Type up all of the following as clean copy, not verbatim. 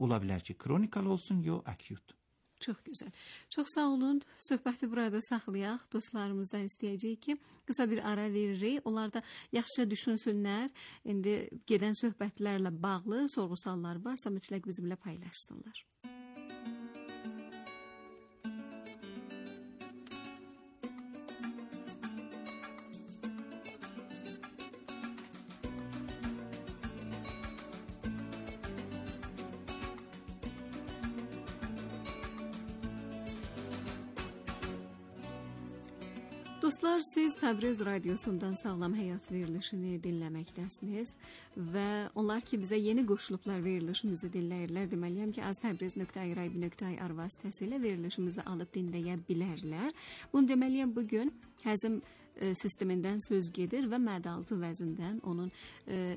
ola bilər ki, kronikal olsun, yox akut. Çox gözəl. Çox sağ olun. Söhbəti burada saxlayaq. Dostlarımızdan istəyəcəyik ki, qısa bir ara veririk. Onlar da yaxşıca düşünsünlər. İndi gedən söhbətlərlə bağlı sorğu-suallar varsa mütləq bizimlə paylaşsınlar. Dostlar, siz Təbriz radiosundan Sağlam Həyat verilişini dinləməkdəsiniz və onlar ki, bizə yeni qoşulublar verilişimizi dinləyirlər. Deməliyəm ki, az-təbriz.irib.ir vasitəsilə verilişimizi alıb dinləyə bilərlər. Bunu deməliyəm, bugün həzm sistemindən söz gedir və mədə-altı vəzindən, onun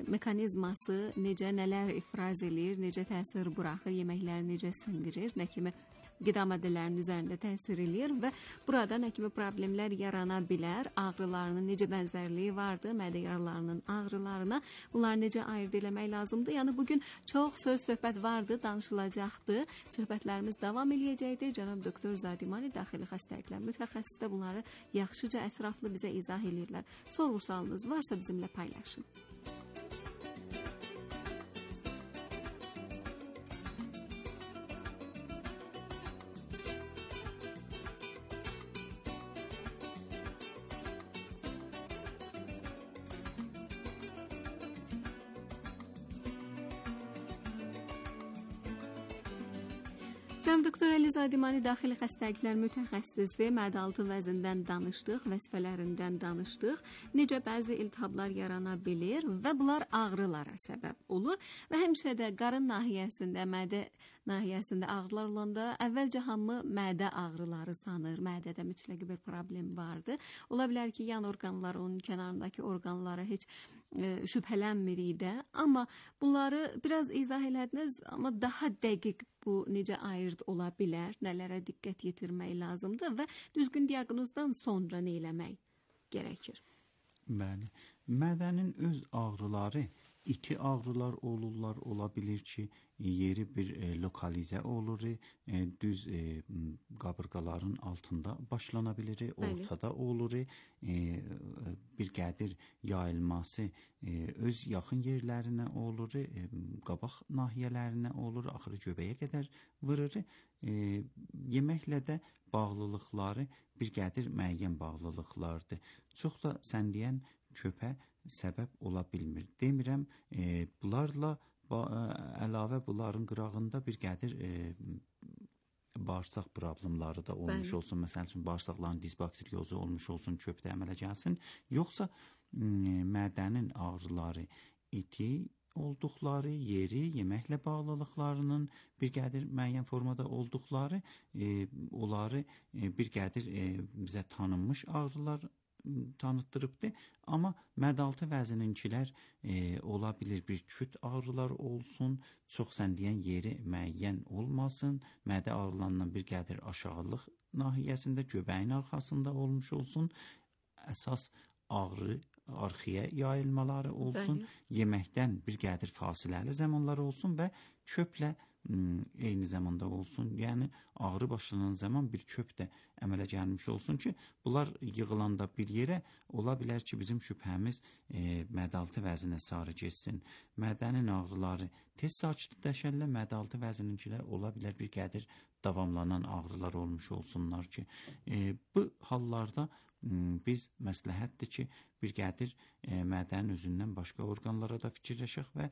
mekanizması necə, nələr ifraz edir, necə təsir buraxır, yeməkləri necə sindirir, nə kimi qida maddələrinin üzərində təsir edir və burada nə kimi problemlər yarana bilər, ağrılarının necə bənzərliyi vardır, mədə yaralarının ağrılarına, bunları necə ayırd eləmək lazımdır. Yəni bugün çox söhbət vardı, danışılacaqdı. Söhbətlərimiz davam eləyəcəkdir. Cənab doktor Zadimani daxili xəstəliklər mütəxəssisi də bunları yaxşıca ətraflı bizə izah eləyirlər. Sorğu-sualınız varsa bizimlə paylaşın. Cənab doktor Əli Zadimani daxili xəstəliklər mütəxəssisi, mədə-altı vəzindən danışdıq, vəzifələrindən danışdıq, necə bəzi iltihablar yarana bilir və bunlar ağrılara səbəb olur və həmişə də qarın nahiyəsində, mədə nahiyəsində ağrılar olanda əvvəlcə hamı mədə ağrıları sanır, mədədə mütləq bir problem vardı. Ola bilər ki, yan orqanları, onun kənarındakı orqanlara heç şübhələnmirik də, amma bunları biraz izah elədiniz, amma daha dəqiq bu necə ayırd ola bilər, nələrə diqqət yetirmək lazımdır və düzgün diaqnozdan sonra nə eləmək gərəkir? Bəli, mədənin öz ağrıları, iti ağrılar olurlar, ola bilir ki, yeri bir lokalizə olur, düz qabırğaların altında başlana bilir, ortada olur, bir qədir yayılması öz yaxın yerlərinə olur, qabaq nahiyələrinə olur, axırı göbəyə qədər vurur. Yeməklə də bağlılıqları bir qədir müəyyən bağlılıqlardır. Çox da sən deyən köpə səbəb ola bilmir. Demirəm, bunlarla əlavə bunların qırağında bir qədir bağırsaq problemləri da olmuş olsun. Məsəl üçün, bağırsaqların disbakteriozu olmuş olsun, köpdə əmələ gəlsin. Yoxsa mədənin ağrıları, iti olduqları yeri, yeməklə bağlılıqlarının bir qədir müəyyən formada olduqları, onları bir qədir bizə tanınmış ağrılar tanıtdırıbdır. Amma mədə-altı vəzininkilər ola bilir bir küt ağrılar olsun, çox sən deyən yeri müəyyən olmasın, mədə ağrılarından bir qədir aşağılıq nahiyəsində, göbəyin arxasında olmuş olsun, əsas ağrı arxiyə yayılmaları olsun, yeməkdən bir qədir fasiləli zamanlar olsun və köplə eyni zamanda olsun. Yəni ağrı başlanan zaman bir köp də əmələ gəlmiş olsun ki, bunlar yığılanda bir yerə ola bilər ki, bizim şübhəmiz mədə-altı vəzinə sarı geçsin. Mədənin ağrıları tez sakitləşərlər, mədə-altı vəzininkilər ola bilər bir qədir davamlanan ağrılar olmuş olsunlar ki, bu hallarda biz məsləhətdir ki, bir qədir mədənin özündən başqa orqanlara da fikirləşək və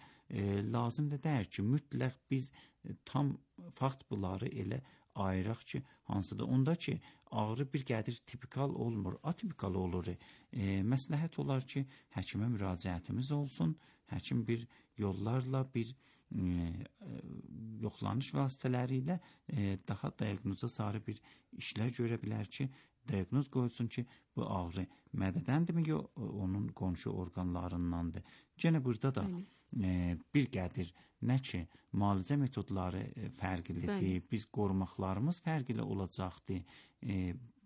lazım da deyir ki, mütləq biz tam fakt bunları elə ayıraq ki, hansıdır? Onda ki, ağrı bir qədir tipikal olmur, atipikal olur. Məsləhət olar ki, həkimə müraciətimiz olsun, həkim bir yollarla, bir yoxlanış vasitələri ilə daha diaqnoza sarı bir işlər görə bilər ki, diaqnoz qoyulsun ki, bu ağrı mədədəndirmi, yox onun qonşu orqanlarındandır. Yenə burada da bir qədir nə ki, müalicə metodları fərqlidir, biz qorumaqlarımız fərqli olacaqdır.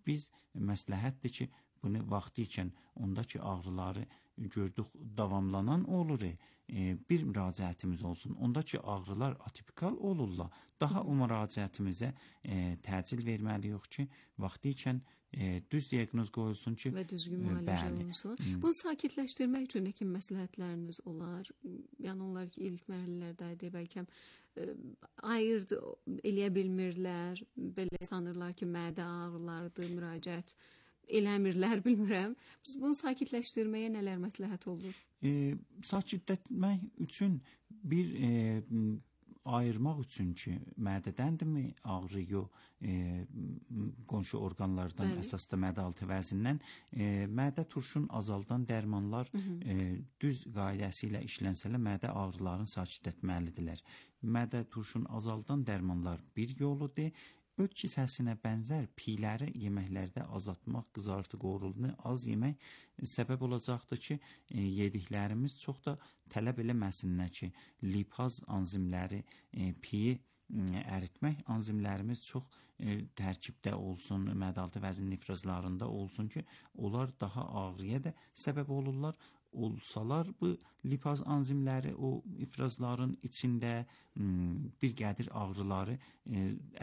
Biz məsləhətdir ki, bunu vaxtı ikən ondakı ağrıları gördük davamlanan olur. Bir müraciətimiz olsun. Ondakı ağrılar atipikal olurlar. Daha o müraciətimizə təcil verməliyik ki, vaxtı ikən düz diaqnoz qoyulsun ki, və düzgün müalicə olunsun. Bunu sakitləşdirmək üçün nə kimi məsləhətləriniz olar? Yəni onlar ki, ilk mərhələlərdə bəlkə ayırd eləyə bilmirlər, belə sanırlar ki, mədə ağrılardır, müraciət eləmirlər, bilmirəm. Biz bunu sakitləşdirməyə nələr məsləhət olur? Sakitləşdirmək üçün bir ayırmaq üçün ki, mədədəndirmi ağrı, yox qonşu orqanlardan, əsasda mədə-altı vəzindən, mədə turşun azaldan dərmanlar düz qaydəsi ilə işlənsələr mədə ağrılarını sakitləşdirməlidirlər. Mədə turşun azaldan dərmanlar bir yoludur. Öd kisəsinə bənzər piyləri yeməklərdə azaltmaq, qızartı qorulunu az yemək səbəb olacaqdır ki, yediklərimiz çox da tələb eləməsinlər ki, lipaz anzimləri, piyi əritmək anzimlərimiz çox tərkibdə olsun, mədə-altı vəzin ifrazlarında olsun ki, onlar daha ağrıya da səbəb olurlar. Olsalar bu lipaz anzimləri o ifrazların içində bir qədir ağrıları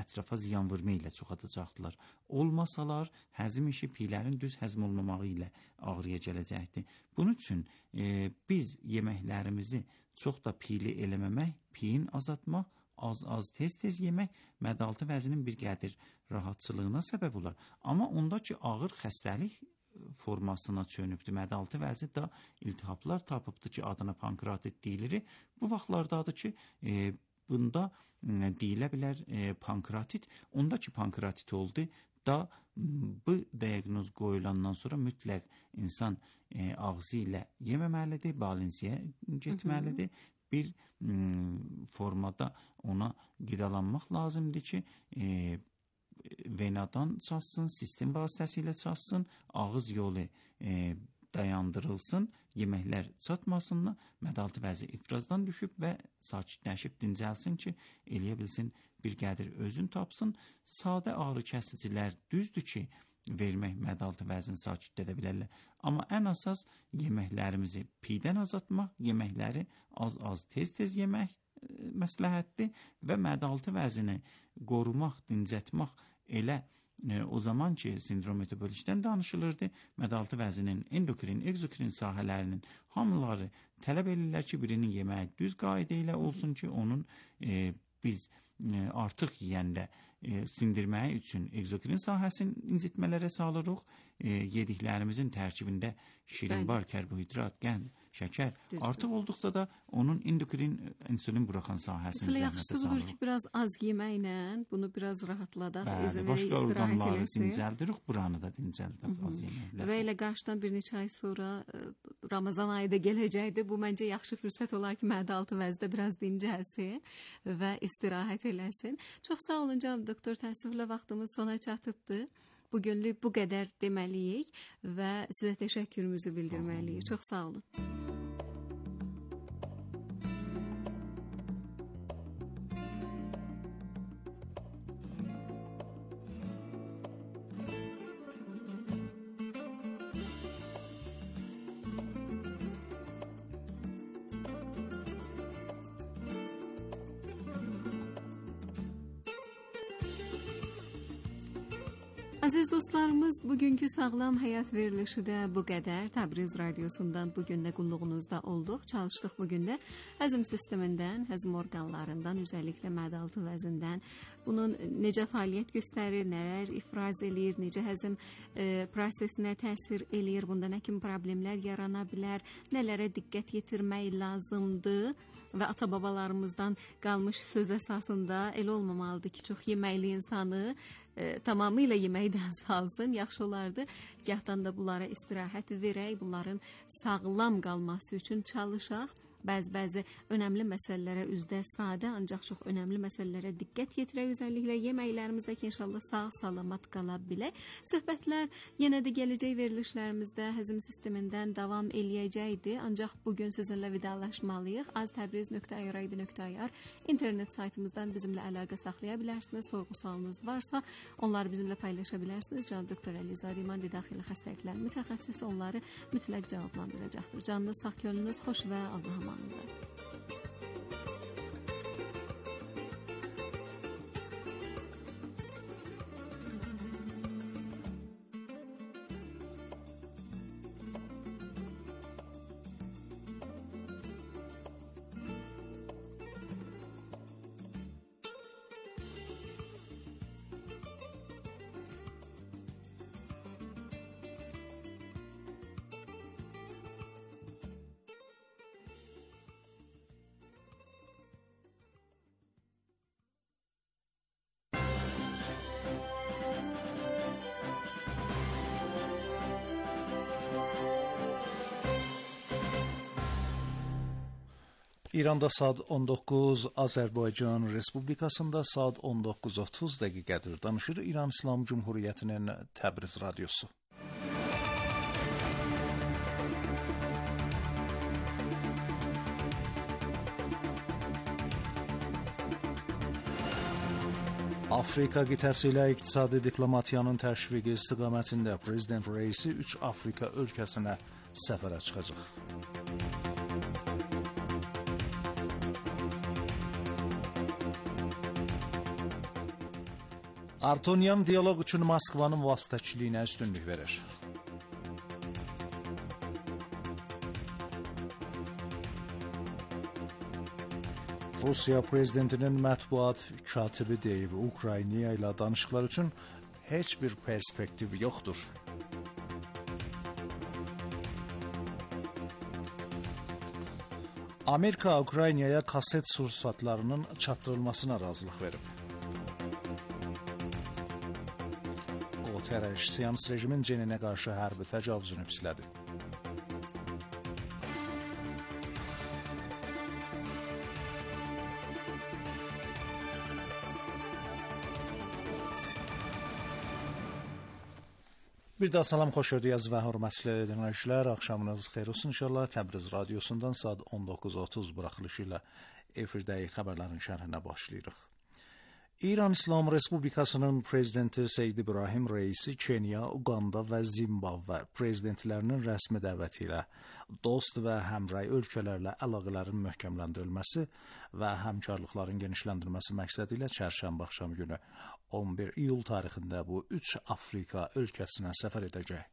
ətrafa ziyan vurma ilə çoxadacaqdılar. Olmasalar həzm işi piylərin düz həzm olmamağı ilə ağrıya gələcəkdir. Bunun üçün biz yeməklərimizi çox da piyli eləməmək, piyin azaltmaq, az tez yemək mədə-altı vəzinin bir qədir rahatçılığına səbəb olar. Amma ondakı ağır xəstəlik formasına çönübdür. Mədə-altı vəzi də iltihaplar tapıbdır ki, adına pankreatit deyilir. Bu vaxtlardadır ki, bunda deyilə bilər pankreatit. Ondakı pankreatit oldu da bu diaqnoz qoyulandan sonra mütləq insan ağzı ilə yeməməlidir, balinsiyə getməlidir. Bir formada ona qidalanmaq lazımdır ki, venadan çalsın, sistem vasitəsilə çalsın, ağız yolu dayandırılsın, yeməklər çatmasınlar, mədə-altı vəzi ifrazdan düşüb və sakitləşib dincəlsin ki, eləyə bilsin, bir qədir özün tapsın. Sadə ağrı kəsicilər düzdür ki, vermək mədə-altı vəzini sakitlədə bilərlər. Amma ən əsas yeməklərimizi piydən azaltmaq, yeməkləri az tez yemək məsləhətdir və mədə-altı vəzini qorumaq, dincətmək elə o zaman ki, sindrom metabolikdən danışılırdı. Mədə-altı vəzinin endokrin, egzokrin sahələrinin hamıları tələb edirlər ki, birinin yeməyi düz qayda ilə olsun ki, onun biz artıq yeyəndə sindirməyi üçün egzokrin sahəsini incitmələrə salırıq. Yediklərimizin tərkibində şirin bar, karbohidrat, qənd, şəkər artıq olduqsa da onun endokrin insülin buraxan sahəsini zəhmətə salırıq. Yaxşıdır ki, biraz az yeməklə bunu biraz rahatladaq, izin verək, başqa orqanları dincəldirik, buranı da dincəldirik az yeməklə. Və elə qarşıdan bir neçə ay sonra Ramazan ayı da gələcəkdir. Bu məncə yaxşı fürsət olar ki, mədə-altı vəzdə biraz dincəlsin və istirahət eləsin. Çox sağ olun canım doktor, təəssüflə vaxtımız sona çatıbdır. Bugünlük bu qədər deməliyik və sizə təşəkkürümüzü bildirməliyik. Çox sağ olun. Aziz dostlarımız, bugünkü Sağlam Həyat verilişi də bu qədər. Təbriz radiosundan bugün də qulluğunuzda olduq. Çalışdıq bugün də həzm sistemindən, həzm orqanlarından, özəlliklə mədə-altı vəzindən, bunun necə fəaliyyət göstərir, nələr ifraz eləyir, necə həzm prosesinə təsir eləyir, bunda nə kimi problemlər yarana bilər, nələrə diqqət yetirmək lazımdır və ata-babalarımızdan qalmış söz əsasında elə olmamalıdır ki, çox yeməkli insanı tamamilə yeməkdən salsın, yaxşı olardı. Gahdan da bunlara istirahət verək, bunların sağlam qalması üçün çalışaq bəzi önəmli məsələlərə üzdə sadə, ancaq çox önəmli məsələlərə diqqət yetirək, özəlliklə yeməklərimizdə ki, inşallah sağ-salamat qala bilək. Söhbətlər yenə də gələcək verilişlərimizdə həzm sistemindən davam eləyəcəkdir, ancaq bugün sizinlə vidalaşmalıyıq. aztabriz.irib.ir internet saytımızdan bizimlə əlaqə saxlaya bilərsiniz. Sorğu-sualınız varsa, onları bizimlə paylaşa bilərsiniz. Can doktor Əlizadə İmandi daxili xəstəliklər mütəxəssisi onları mütləq cavablandıracaqdır. Canınız sağ, könlünüz xoş və Allah'a əmanət. İranda saat 19, Azərbaycan Respublikasında saat 19:30 dəqiqədir. Danışır İran İslam Cumhuriyyətinin Təbriz radiosu. Afrika qitəsi ilə iqtisadi diplomatiyanın təşviqi istiqamətində Prezident Reisi 3 Afrika ölkəsinə səfərə çıxacaq. Artonyan dialoq üçün Moskvanın vasitəçiliyinə üstünlük verir. Rusiya prezidentinin mətbuat katibi deyib, Ukrayna ilə danışıqlar üçün heç bir perspektiv yoxdur. Amerika Ukraynaya kaset sursatlarının çatdırılmasına razılıq verib. Guterres Siyonist rejimin Ceninə qarşı hərbi təcavüzünü pislədi. Bir daha salam, xoş gördük və hörmətli dinləyicilər. Axşamınız xeyir olsun inşallah. Təbriz radiosundan saat 19:30 buraxılışı ilə efirdəyi xəbərlərin şərhinə başlayırıq. İran İslam Respublikasının prezidenti Seyyid İbrahim Reisi Kenya, Uganda və Zimbabve prezidentlərinin rəsmi dəvəti ilə dost və həmrəy ölkələrlə əlaqələrin möhkəmləndirilməsi və həmkarlıqların genişləndirilməsi məqsədi ilə çərşənbə axşam günü 11 iyul tarixində bu 3 Afrika ölkəsinə səfər edəcək.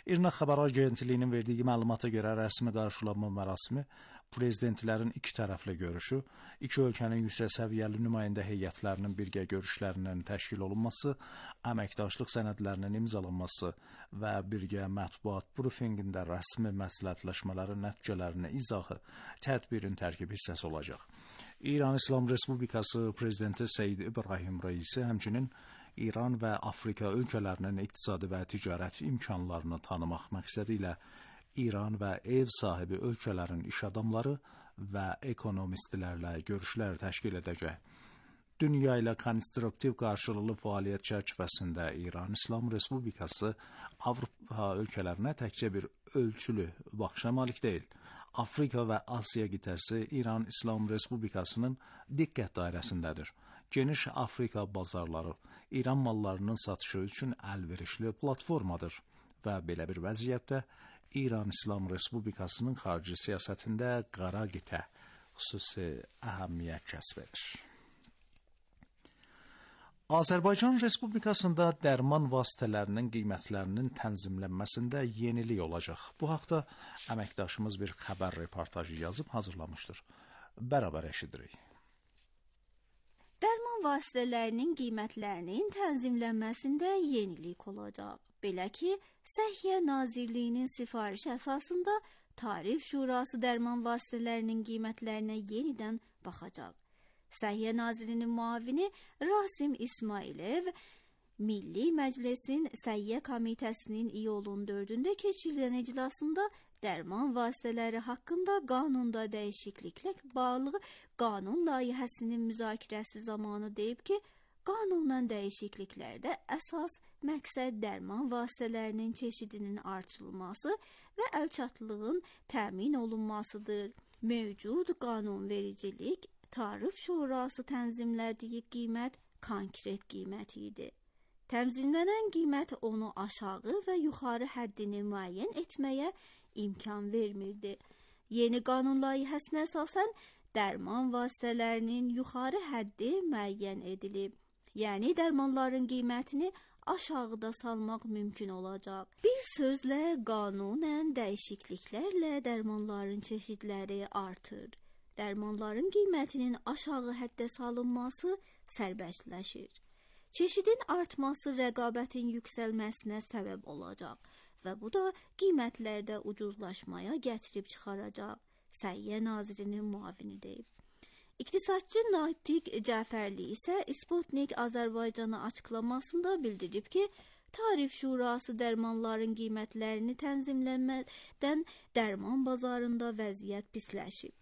İRNA xəbər agentliyinin verdiyi məlumata görə rəsmi qarşılanma mərasimi prezidentlərin iki tərəfli görüşü, iki ölkənin yüksək səviyyəli nümayəndə heyətlərinin birgə görüşlərinin təşkil olunması, əməkdaşlıq sənədlərinin imzalanması və birgə mətbuat brifinqində rəsmi məsləhətləşmələrin nəticələrinin izahı tədbirin tərkib hissəsi olacaq. İran İslam Respublikası prezidenti Seyyid İbrahim Reisi həmçinin İran və Afrika ölkələrinin iqtisadi və ticarət imkanlarını tanımaq məqsədi ilə İran və ev sahibi ölkələrin iş adamları və ekonomistlərlə görüşlər təşkil edəcək. Dünya ilə konstruktiv qarşılıqlı fəaliyyət çərçivəsində İran İslam Respublikası Avropa ölkələrinə təkcə bir ölçülü baxışa malik deyil. Afrika və Asiya qitəsi İran İslam Respublikasının diqqət dairəsindədir. Geniş Afrika bazarları İran mallarının satışı üçün əlverişli platformadır və belə bir vəziyyətdə İran İslam Respublikasının xarici siyasətində qara qitə xüsusi əhəmiyyət kəsb edir. Azərbaycan Respublikasında dərman vasitələrinin qiymətlərinin tənzimlənməsində yenilik olacaq. Bu haqda əməkdaşımız bir xəbər reportajı yazıb hazırlamışdır. Bərabər eşidirik. Dərman vasitələrinin qiymətlərinin tənzimlənməsində yenilik olacaq. Belə ki, Səhiyyə Nazirliyinin sifarişi əsasında Tarif Şurası dərman vasitələrinin qiymətlərinə yenidən baxacaq. Səhiyyə Nazirinin müavini Rasim İsmailev Milli Məclisin Səhiyyə Komitəsinin iyulun 4-də keçirilən iclasında dərman vasitələri haqqında qanunda dəyişikliklə bağlı qanun layihəsinin müzakirəsi zamanı deyib ki, qanundan dəyişikliklərdə əsas məqsəd dərman vasitələrinin çeşidinin artırılması və əlçatlığın təmin olunmasıdır. Mövcud qanunvericilik Tarif Şurası tənzimlədiyi qiymət konkret qiymət idi. Tənzimlənən qiymət onu aşağı və yuxarı həddini müəyyən etməyə imkan vermirdi. Yeni qanun layihəsinə əsasən dərman vasitələrinin yuxarı həddi müəyyən edilib. Yəni dərmanların qiymətini aşağıda salmaq mümkün olacaq. Bir sözlə qanunən dəyişikliklərlə dərmanların çeşidləri artır. Dərmanların qiymətinin aşağı həddə salınması sərbəstləşir. Çeşidin artması rəqabətin yüksəlməsinə səbəb olacaq və bu da qiymətlərdə ucuzlaşmaya gətirib çıxaracaq. Səhiyyə Nazirinin müavini deyib. İqtisadçı Natiq Cəfərli isə Sputnik Azərbaycana açıqlamasında bildirib ki, Tarif Şurası dərmanların qiymətlərini tənzimləmədən dərman bazarında vəziyyət pisləşib.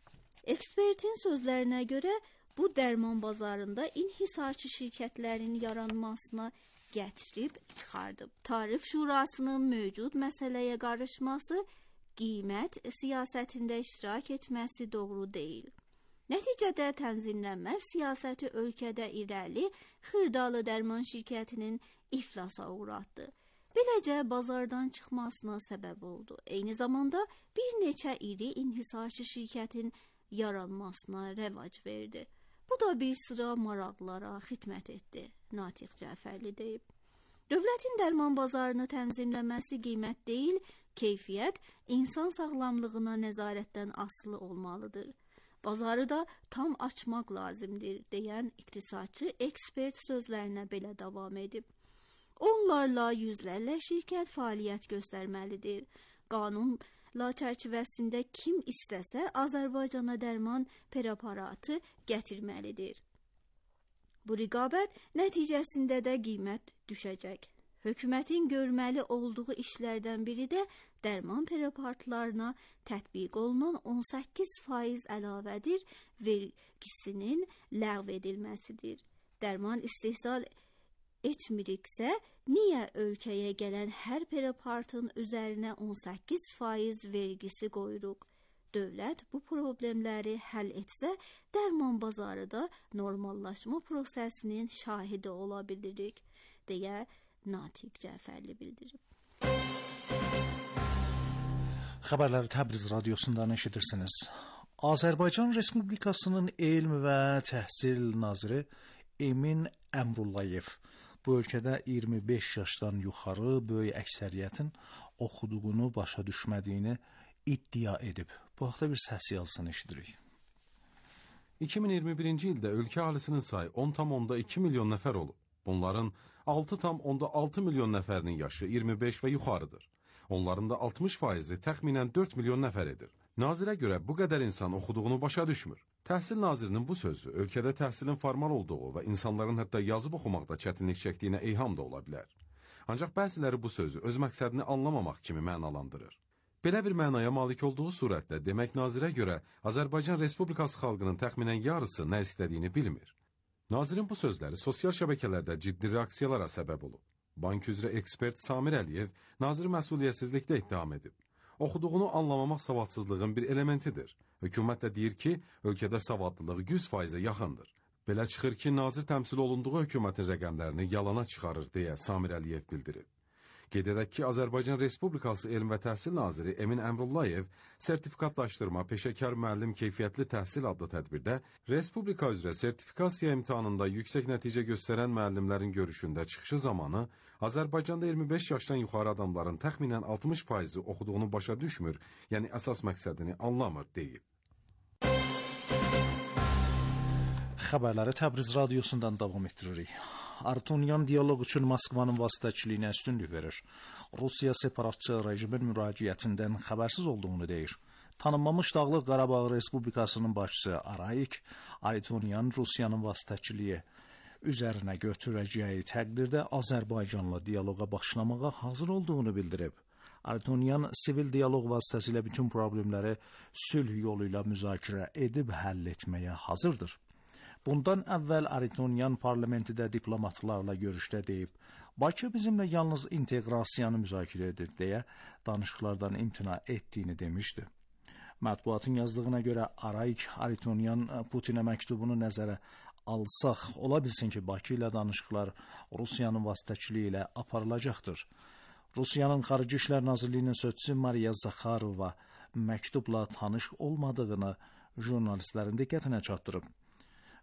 Ekspertin sözlərinə görə bu dərman bazarında inhisarçı şirkətlərin yaranmasına gətirib çıxardıb. Tarif Şurasının mövcud məsələyə qarışması, qiymət siyasətində iştirak etməsi doğru deyil. Nəticədə tənzimlənmə siyasəti ölkədə irəli xırdalı dərman şirkətinin iflasa uğratdı. Beləcə bazardan çıxmasına səbəb oldu. Eyni zamanda bir neçə iri inhisarçı şirkətin yaranmasına rəvac verdi. Bu da bir sıra maraqlara xidmət etdi, Natiq Cəfərli deyib. Dövlətin dərman bazarını tənzimləməsi qiymət deyil, keyfiyyət insan sağlamlığına nəzarətdən asılı olmalıdır. Bazarı da tam açmaq lazımdır, deyən iqtisadçı ekspert sözlərinə belə davam edib. Onlarla yüzlərlə şirkət fəaliyyət göstərməlidir. Qanunla çərçivəsində kim istəsə Azərbaycana dərman preparatı gətirməlidir. Bu rəqabət nəticəsində də qiymət düşəcək. Hökumətin görməli olduğu işlərdən biri də dərman preparatlarına tətbiq olunan 18% əlavədir vergisinin ləğv edilməsidir. Dərman istehsal etmiriksə, niyə ölkəyə gələn hər preparatın üzərinə 18% vergisi qoyuruq? Dövlət bu problemləri həll etsə, dərman bazarı da normallaşma prosesinin şahidi ola bilirik, deyə Natiq Cəfərli bildirib. Xəbərləri Təbriz radiosundan eşidirsiniz. Azərbaycan Respublikasının Elm və Təhsil naziri Emin Əmrullayev bu ölkədə 25 yaşdan yuxarı böyük əksəriyyətin oxuduğunu başa düşmədiyini iddia edib. Bu haqda bir səs yazısını eşidirik. 2021-ci ildə ölkə əhalisinin sayı 10,2 milyon nəfər olub. Bunların 6,6 milyon nəfərinin yaşı 25 və yuxarıdır. Onların da 60%-i təxminən 4 milyon nəfər edir. Nazirə görə bu qədər insan oxuduğunu başa düşmür. Təhsil nazirinin bu sözü ölkədə təhsilin formal olduğu və insanların hətta yazıb oxumaqda çətinlik çəkdiyinə eyham da ola bilər. Ancaq bəziləri bu sözü öz məqsədini anlamamaq kimi mənalandırır. Belə bir mənaya malik olduğu surətdə demək nazirə görə Azərbaycan Respublikası xalqının təxminən yarısı nə istədiyini bilmir. Nazirin bu sözləri sosial şəbəkələrdə ciddi reaksiyalara səbəb olub. Bank üzrə ekspert Samir Əliyev naziri məsuliyyətsizlikdə ittiham edib. Oxuduğunu anlamamaq savadsızlığın bir elementidir. Hökumət də deyir ki, ölkədə savadlılıq 100%-ə yaxındır. Belə çıxır ki, nazir təmsil olunduğu hökumətin rəqəmlərini yalana çıxarır, deyə Samir Əliyev bildirib. Qeyd edək ki, Azərbaycan Respublikası Elm və Təhsil naziri Emin Əmrullayev sertifikatlaşdırma, peşəkar müəllim keyfiyyətli təhsil adlı tədbirdə Respublika üzrə sertifikasiya imtahanında yüksək nəticə göstərən müəllimlərin görüşündə çıxışı zamanı Azərbaycanda 25 yaşdan yuxarı adamların təxminən 60%-i oxuduğunu başa düşmür, yəni əsas məqsədini anlamır, deyib. Xəbərləri Təbriz radiosundan davam etdiririk. Artunyan diyaloq üçün Moskvanın vasitəçiliyinə üstünlük verir. Rusiya separatçı rejimin müraciətindən xəbərsiz olduğunu deyir. Tanınmamış Dağlıq Qarabağ Respublikasının başçısı Arayik Artunyan Rusiyanın vasitəçiliyi üzərinə götürəcəyi təqdirdə Azərbaycanla dialoqa başlamağa hazır olduğunu bildirib. Aritonyan sivil dialoq vasitəsilə bütün problemləri sülh yolu ilə müzakirə edib həll etməyə hazırdır. Bundan əvvəl Aritonyan parlamentdə diplomatlarla görüşdə deyib, Bakı bizimlə yalnız inteqrasiyanı müzakirə edir deyə danışıqlardan imtina etdiyini demişdi. Mətbuatın yazdığına görə Arayik Aritonyan Putinə məktubunu nəzərə alsaq, ola bilsin ki, Bakı ilə danışıqlar Rusiyanın vasitəçiliyi ilə aparılacaqdır. Rusiyanın Xarici İşlər Nazirliyinin sözçüsü Mariya Zakharova məktubla tanış olmadığını jurnalistlərin diqqətinə çatdırıb.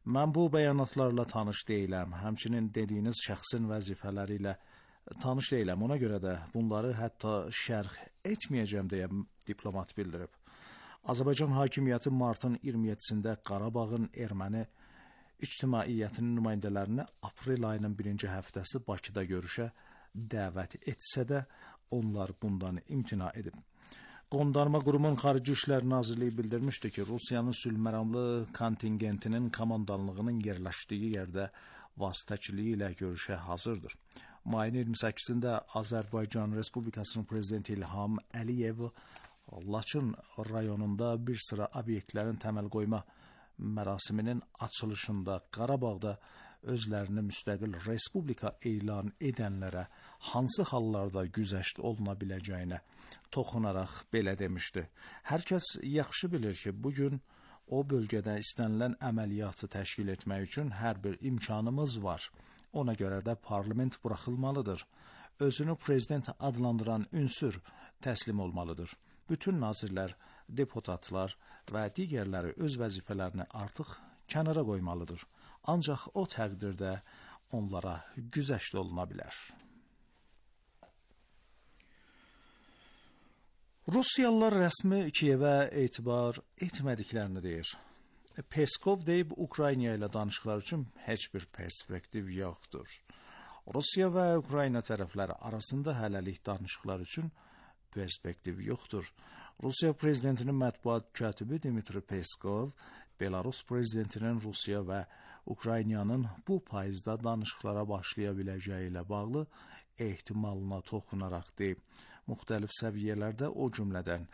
Mən bu bəyanatlarla tanış deyiləm, həmçinin dediyiniz şəxsin vəzifələri ilə tanış deyiləm. Ona görə də bunları hətta şərh etməyəcəm deyə diplomat bildirib. Azərbaycan hakimiyyəti martın 27-sində Qarabağın erməni ictimaiyyətinin nümayəndələrini aprel ayının 1-ci həftəsi Bakıda görüşə dəvət etsə də onlar bundan imtina edib. Qondarma qurumun Xarici İşlər Nazirliyi bildirmişdi ki, Rusiyanın sülhməramlı kontingentinin komandanlığının yerləşdiyi yerdə vasitəçiliyi ilə görüşə hazırdır. Mayın 28-də Azərbaycan Respublikasının prezidenti İlham Əliyev Laçın rayonunda bir sıra obyektlərin təməl qoyma mərasiminin açılışında Qarabağda özlərini müstəqil respublika elan edənlərə hansı hallarda güzəşt oluna biləcəyinə toxunaraq belə demişdi. Hər kəs yaxşı bilir ki, bugün o bölgədə istənilən əməliyyatı təşkil etmək üçün hər bir imkanımız var. Ona görə də parlament buraxılmalıdır. Özünü prezident adlandıran ünsür təslim olmalıdır. Bütün nazirlər, deputatlar və digərləri öz vəzifələrini artıq kənara qoymalıdır. Ancaq o təqdirdə onlara güzəşt oluna bilər. Rusiyalılar rəsmi Kiyevə etibar etmədiklərini deyir. Peskov deyib, Ukrayna ilə danışıqlar üçün heç bir perspektiv yoxdur. Rusiya və Ukrayna tərəfləri arasında hələlik danışıqlar üçün perspektiv yoxdur. Rusiya prezidentinin mətbuat katibi Dmitri Peskov, Belarus prezidentinin Rusiya və Ukraynanın bu payızda danışıqlara başlaya biləcəyi ilə bağlı ehtimalına toxunaraq deyib, müxtəlif səviyyələrdə, o cümlədən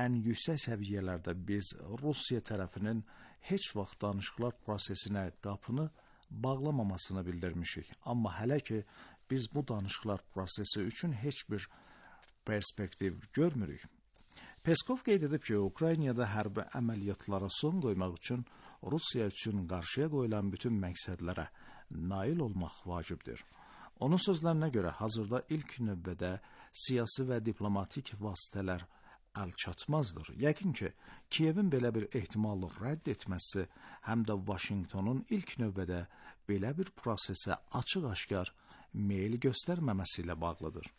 ən yüksək səviyyələrdə biz Rusiya tərəfinin heç vaxt danışıqlar prosesinə qapını bağlamamasını bildirmişik. Amma hələ ki, biz bu danışıqlar prosesi üçün heç bir perspektiv görmürük. Peskov qeyd edib ki, Ukraynada hərbi əməliyyatlara son qoymaq üçün Rusiya üçün qarşıya qoyulan bütün məqsədlərə nail olmaq vacibdir. Onun sözlərinə görə hazırda ilk növbədə siyasi və diplomatik vasitələr əlçatmazdır. Yəqin ki, Kiyevin belə bir ehtimalı rədd etməsi həm də Vaşinqtonun ilk növbədə belə bir prosesə açıq-aşkar meyil göstərməməsi ilə bağlıdır.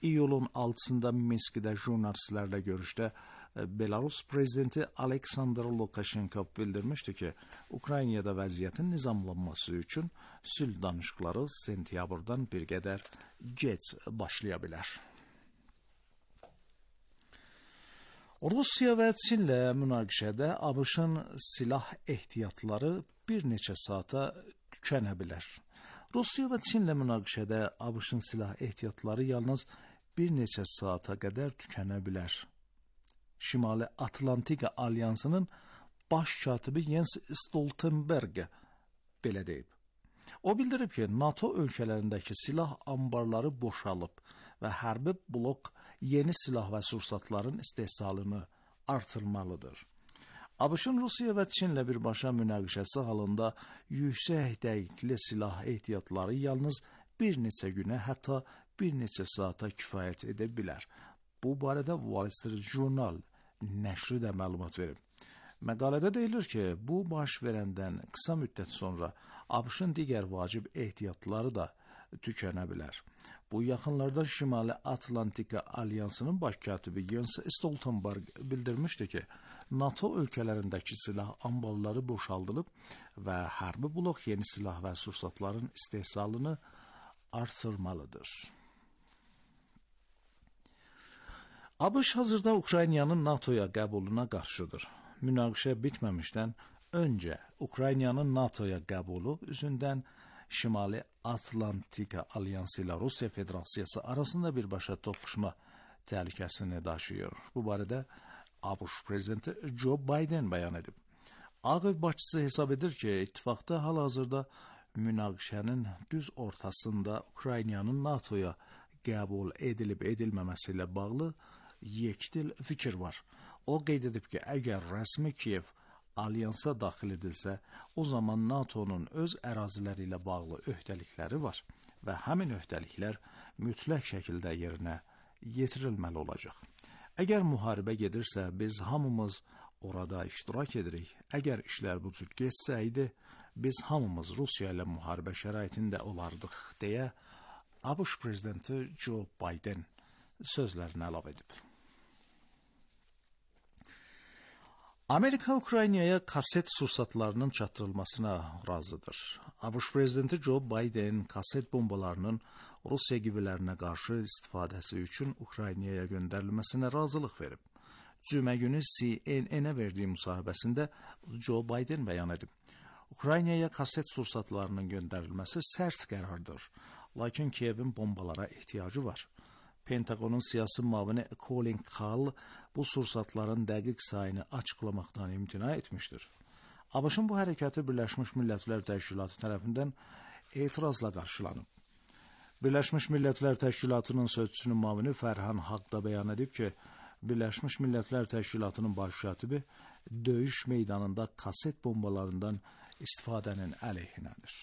İyulun 6-sında Minskdə jurnalistlərlə görüşdə Belarus prezidenti Aleksandr Lukashenko bildirmişdi ki, Ukraynada vəziyyətin nizamlanması üçün sülh danışıqları sentyabrdan bir qədər gec başlaya bilər. Rusiya və Çinlə münaqişədə ABŞ-ın silah ehtiyatları bir neçə saata tükənə bilər. Rusiya və Çinlə münaqişədə ABŞ-ın silah ehtiyatları yalnız bir neçə saata qədər tükənə bilər. Şimali Atlantika Alyansının baş katibi Jens Stoltenberg belə deyib. O bildirib ki, NATO ölkələrindəki silah ambarları boşalıb və hərbi blok yeni silah və sursatların istehsalını artırmalıdır. ABŞ-ın Rusiya və Çinlə birbaşa münaqişəsi halında yüksək dəqiqli silah ehtiyatları yalnız bir neçə günə, hətta bir neçə saata kifayət edə bilər. Bu barədə Wall Street Journal nəşri də məlumat verib. Məqalədə deyilir ki, bu baş verəndən qısa müddət sonra ABŞ-ın digər vacib ehtiyatları da tükənə bilər. Bu yaxınlarda Şimali Atlantika Alyansının baş katibi Jens Stoltenberg bildirmişdi ki, NATO ölkələrindəki silah ambarları boşaldılıb və hərbi blok yeni silah və sursatların istehsalını artırmalıdır. ABŞ hazırda Ukraynanın NATOya qəbuluna qarşıdır. Münaqişə bitməmişdən öncə Ukraynanın NATOya qəbulu üzündən Şimali Atlantika Alyansı ilə Rusiya Federasiyası arasında birbaşa toqquşma təhlükəsini daşıyır. Bu barədə ABŞ prezidenti Joe Biden bəyan edib. Ağ Ev başçısı hesab edir ki, ittifaqda hal-hazırda münaqişənin düz ortasında Ukraynanın NATOya qəbul edilib-edilməməsi ilə bağlı yekdil fikir var. O qeyd edib ki, əgər rəsmi Kiyev alyansa daxil edilsə, o zaman NATO'nun öz əraziləri ilə bağlı öhdəlikləri var və həmin öhdəliklər mütləq şəkildə yerinə yetirilməli olacaq. Əgər müharibə gedirsə, biz hamımız orada iştirak edirik. Əgər işlər bu cür geçsəydi, biz hamımız Rusiya ilə müharibə şəraitində olardıq, deyə ABŞ prezidenti Joe Biden sözlərini əlavə edib. Amerika Ukraynaya kaset sursatlarının çatdırılmasına razıdır. ABŞ prezidenti Joe Biden kaset bombalarının Rusiya qivlərinə qarşı istifadəsi üçün Ukraynaya göndərilməsinə razılıq verib. Cümə günü CNN-ə verdiyi müsahibəsində Joe Biden bəyan edib. Ukraynaya kaset sursatlarının göndərilməsi sərt qərardır, lakin Kiyevin bombalara ehtiyacı var. Pentagonun siyasi müavini Colin Kahl bu sursatların dəqiq sayını açıqlamaqdan imtina etmişdir. ABŞ-ın bu hərəkəti Birləşmiş Millətlər Təşkilatı tərəfindən etirazla qarşılanıb. Birləşmiş Millətlər Təşkilatının sözçüsünün müavini Fərhan Haq da bəyan edib ki, Birləşmiş Millətlər Təşkilatının baş katibi döyüş meydanında kaset bombalarından istifadənin əleyhinədir.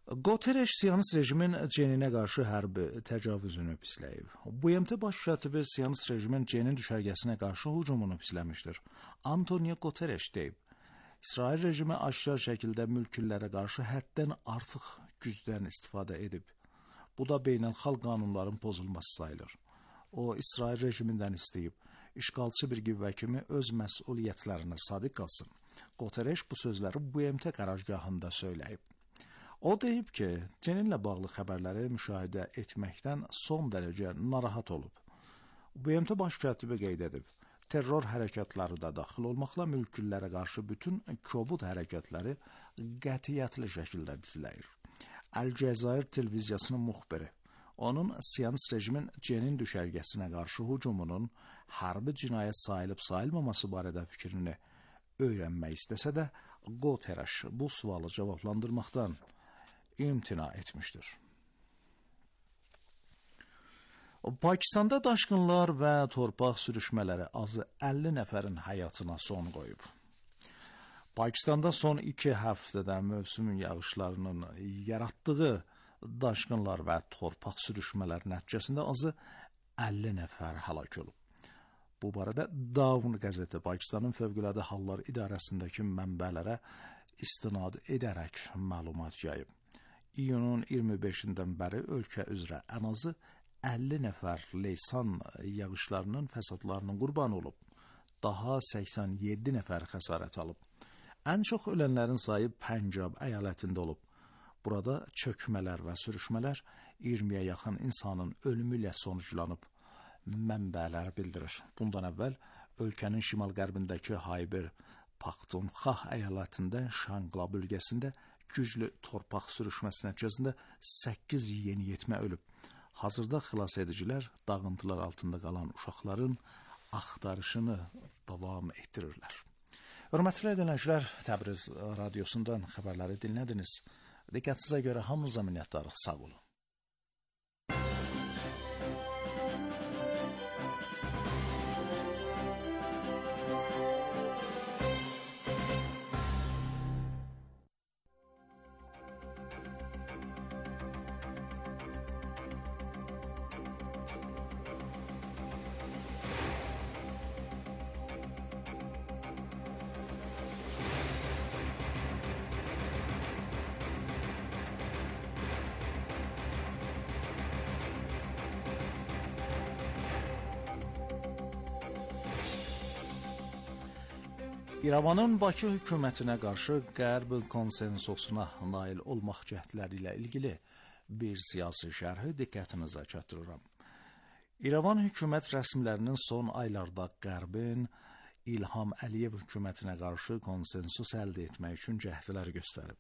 Guterres Siyonist rejimin Ceninə qarşı hərbi təcavüzünü pisləyib. BMT baş katibi Siyonist rejimin Cenin düşərgəsinə qarşı hücumunu pisləmişdir. Antonio Guterres deyib. İsrail rejimi aşkar şəkildə mülkillərə qarşı həddən artıq gücdən istifadə edib. Bu da beynəlxalq qanunların pozulması sayılır. O, İsrail rejimindən istəyib, işğalçı bir qüvvə kimi öz məsuliyyətlərinə sadiq qalsın. Guterres bu sözləri BMT qərargahında söyləyib. O deyib ki, Ceninlə bağlı xəbərləri müşahidə etməkdən son dərəcə narahat olub. BMT baş katibi qeyd edib, terror hərəkatları da daxil olmaqla mülküllərə qarşı bütün kobud hərəkətləri qətiyyətli şəkildə bizləyir. Əl-Cəzair televiziyasının müxbiri, onun Siyonist rejimin Cenin düşərgəsinə qarşı hücumunun hərbi cinayət sayılıb-sayılmaması barədə fikrini öyrənmək istəsə də, Guterres bu sualı cavablandırmaqdan imtina etmişdir. Pakistanda daşqınlar və torpaq sürüşmələri azı 50 nəfərin həyatına son qoyub. Pakistanda son 2 həftədə mövsüm yağışlarının yaratdığı daşqınlar və torpaq sürüşmələri nəticəsində azı 50 nəfər həlak olub. Bu barədə Dawn qəzeti Pakistanın Fövqəladə Hallar İdarəsindəki mənbələrə istinad edərək məlumat yayıb. İyunun 25-dən bəri ölkə üzrə ən azı 50 nəfər leysan yağışlarının fəsadlarının qurbanı olub. Daha 87 nəfər xəsarət alıb. Ən çox ölənlərin sayı Pəncab əyalətində olub. Burada çökmələr və sürüşmələr 20-yə yaxın insanın ölümü ilə sonuclanıb. Mənbələr bildirir. Bundan əvvəl ölkənin şimal-qərbindəki Hayber Paxtunxva əyalətində Şangla bölgəsində güclü torpaq sürüşməsi nəticəsində 8 yeniyetmə ölüb. Hazırda xilas edicilər dağıntılar altında qalan uşaqların axtarışını davam etdirirlər. Hörmətli dinləyicilər, Təbriz radiosundan xəbərləri dinlədiniz. Diqqətinizə görə hamınıza minnətdarıq. Sağ olun. İrəvanın Bakı hökumətinə qarşı Qərb konsensusuna nail olmaq cəhdləri ilə ilgili bir siyasi şərhi diqqətinizə çatdırıram. İrəvan hökumət rəsmilərinin son aylarda Qərbin İlham Əliyev hökumətinə qarşı konsensus əldə etmək üçün cəhdlər göstərib.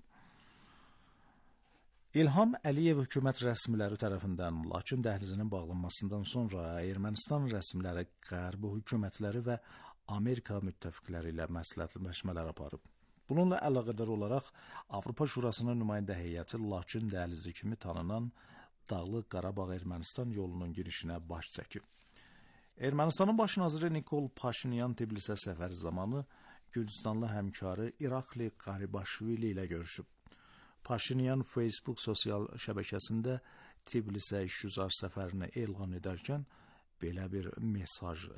İlham Əliyev hökumət rəsmiləri tərəfindən Laçın dəhlizinin bağlanmasından sonra Ermənistan rəsmiləri Qərb hökumətləri və Amerika müttəfiqləri ilə məsləhətləşmələr aparıb. Bununla əlaqədar olaraq Avropa Şurasının nümayəndə heyəti Laçın dəhlizi kimi tanınan Dağlıq Qarabağ Ermənistan yolunun girişinə baş çəkib. Ermənistanın baş naziri Nikol Paşinyan Tbilisə səfəri zamanı Gürcüstanlı həmkarı İrakli Qaribaşvili ilə görüşüb. Paşinyan Facebook sosial şəbəkəsində Tbilisə işgüzar səfərini elan edərkən belə bir mesaj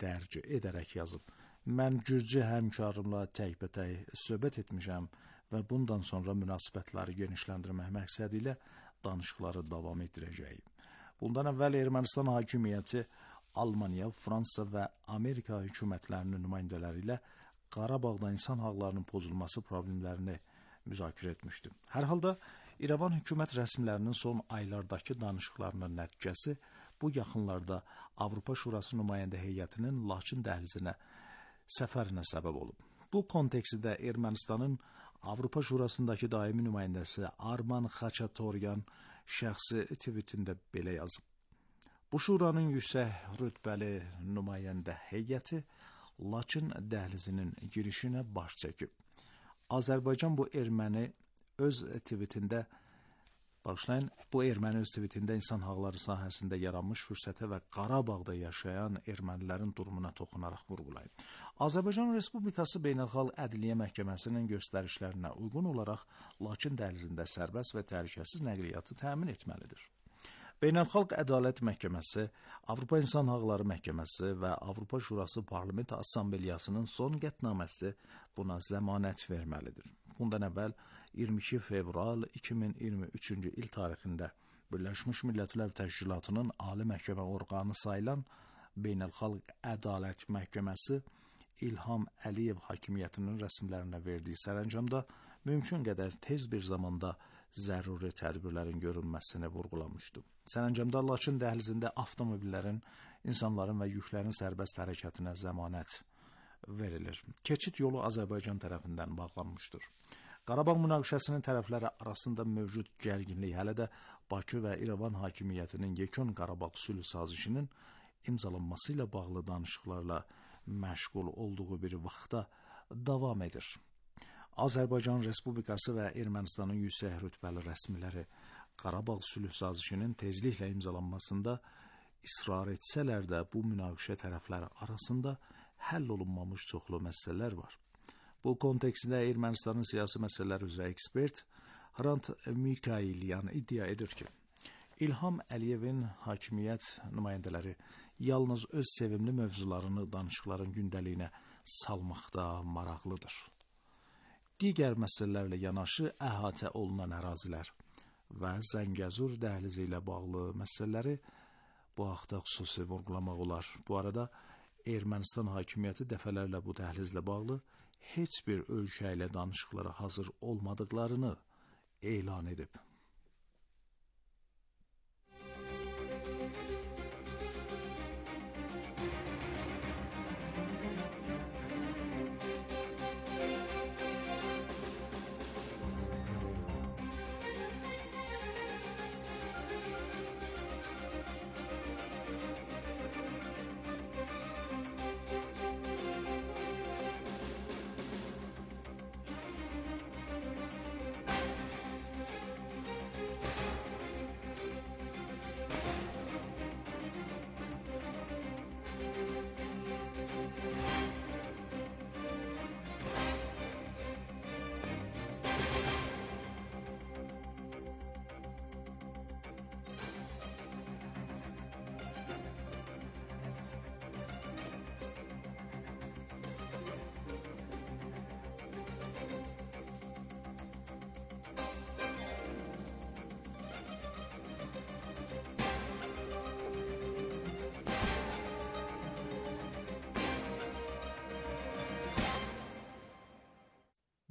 dərc edərək yazıb. Mən Gürcü həmkarımla təkbətək söhbət etmişəm və bundan sonra münasibətləri genişləndirmək məqsədi ilə danışıqları davam etdirəcəyik. Bundan əvvəl Ermənistan hakimiyyəti Almaniya, Fransa və Amerika hökumətlərinin nümayəndələri ilə Qarabağda insan haqlarının pozulması problemlərini müzakirə etmişdi. Hər halda İrəvan hökumət rəsmilərinin son aylardakı danışıqlarının nəticəsi bu yaxınlarda Avropa Şurası nümayəndə heyətinin Laçın dəhlizinə səfərinə səbəb olub. Bu kontekstdə Ermənistanın Avropa Şurasındakı daimi nümayəndəsi Arman Xaçatoryan şəxsi tweetində belə yazıb. Bu şuranın yüksək rütbəli nümayəndə heyəti Laçın dəhlizinin girişinə baş çəkib. Azərbaycan bu erməni öz tweetində insan haqları sahəsində yaranmış fürsətə və Qarabağda yaşayan ermənilərin durumuna toxunaraq vurğulayıb. Azərbaycan Respublikası Beynəlxalq Ədliyyə Məhkəməsinin göstərişlərinə uyğun olaraq Laçın dəhlizində sərbəst və təhlükəsiz nəqliyyatı təmin etməlidir. Beynəlxalq Ədalət Məhkəməsi, Avropa İnsan Haqları Məhkəməsi və Avropa Şurası Parlament Assambleyasının son qətnaməsi buna zəmanət verməlidir. Bundan əvvəl 22 fevral 2023-cü il tarixində Birləşmiş Millətlər Təşkilatının Ali Məhkəmə orqanı sayılan Beynəlxalq Ədalət Məhkəməsi İlham Əliyev hakimiyyətinin rəsmilərinə verdiyi sərəncamda mümkün qədər tez bir zamanda zəruri tədbirlərin görülməsini vurğulamışdı. Sərəncamda Laçın dəhlizində avtomobillərin, insanların və yüklərin sərbəst hərəkətinə zəmanət verilir. Keçid yolu Azərbaycan tərəfindən bağlanmışdır. Qarabağ münaqişəsinin tərəfləri arasında mövcud gərginlik hələ də Bakı və İrəvan hakimiyyətinin yekun Qarabağ sülh sazişinin imzalanması ilə bağlı danışıqlarla məşğul olduğu bir vaxtda davam edir. Azərbaycan Respublikası və Ermənistanın yüksək rütbəli rəsmiləri Qarabağ sülh sazişinin tezliklə imzalanmasında israr etsələr də bu münaqişə tərəfləri arasında həll olunmamış çoxlu məsələlər var. Bu kontekstdə Ermənistanın siyasi məsələlər üzrə ekspert Hrant Mikayilyan iddia edir ki, İlham Əliyevin hakimiyyət nümayəndələri yalnız öz sevimli mövzularını danışıqların gündəliyinə salmaqda maraqlıdır. Digər məsələlərlə yanaşı əhatə olunan ərazilər və Zəngəzur dəhlizi ilə bağlı məsələləri bu haqda xüsusi vurğulamaq olar. Bu arada Ermənistan hakimiyyəti dəfələrlə bu dəhlizlə bağlı heç bir ölkə ilə danışıqlara hazır olmadıqlarını elan edib.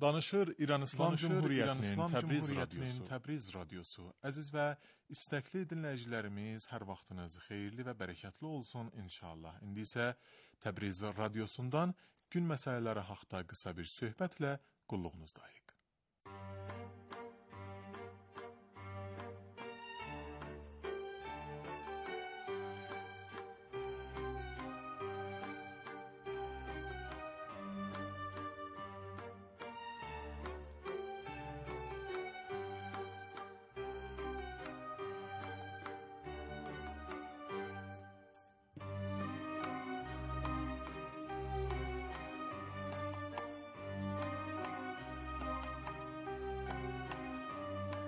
Danışır İran İslam Cumhuriyyətinin Təbriz radiosu. Əziz və istəkli dinləyicilərimiz, hər vaxtınız xeyirli və bərəkətli olsun inşallah. İndi isə Təbriz radiosundan gün məsələləri haqqında qısa bir söhbətlə qulluğunuzdayıq.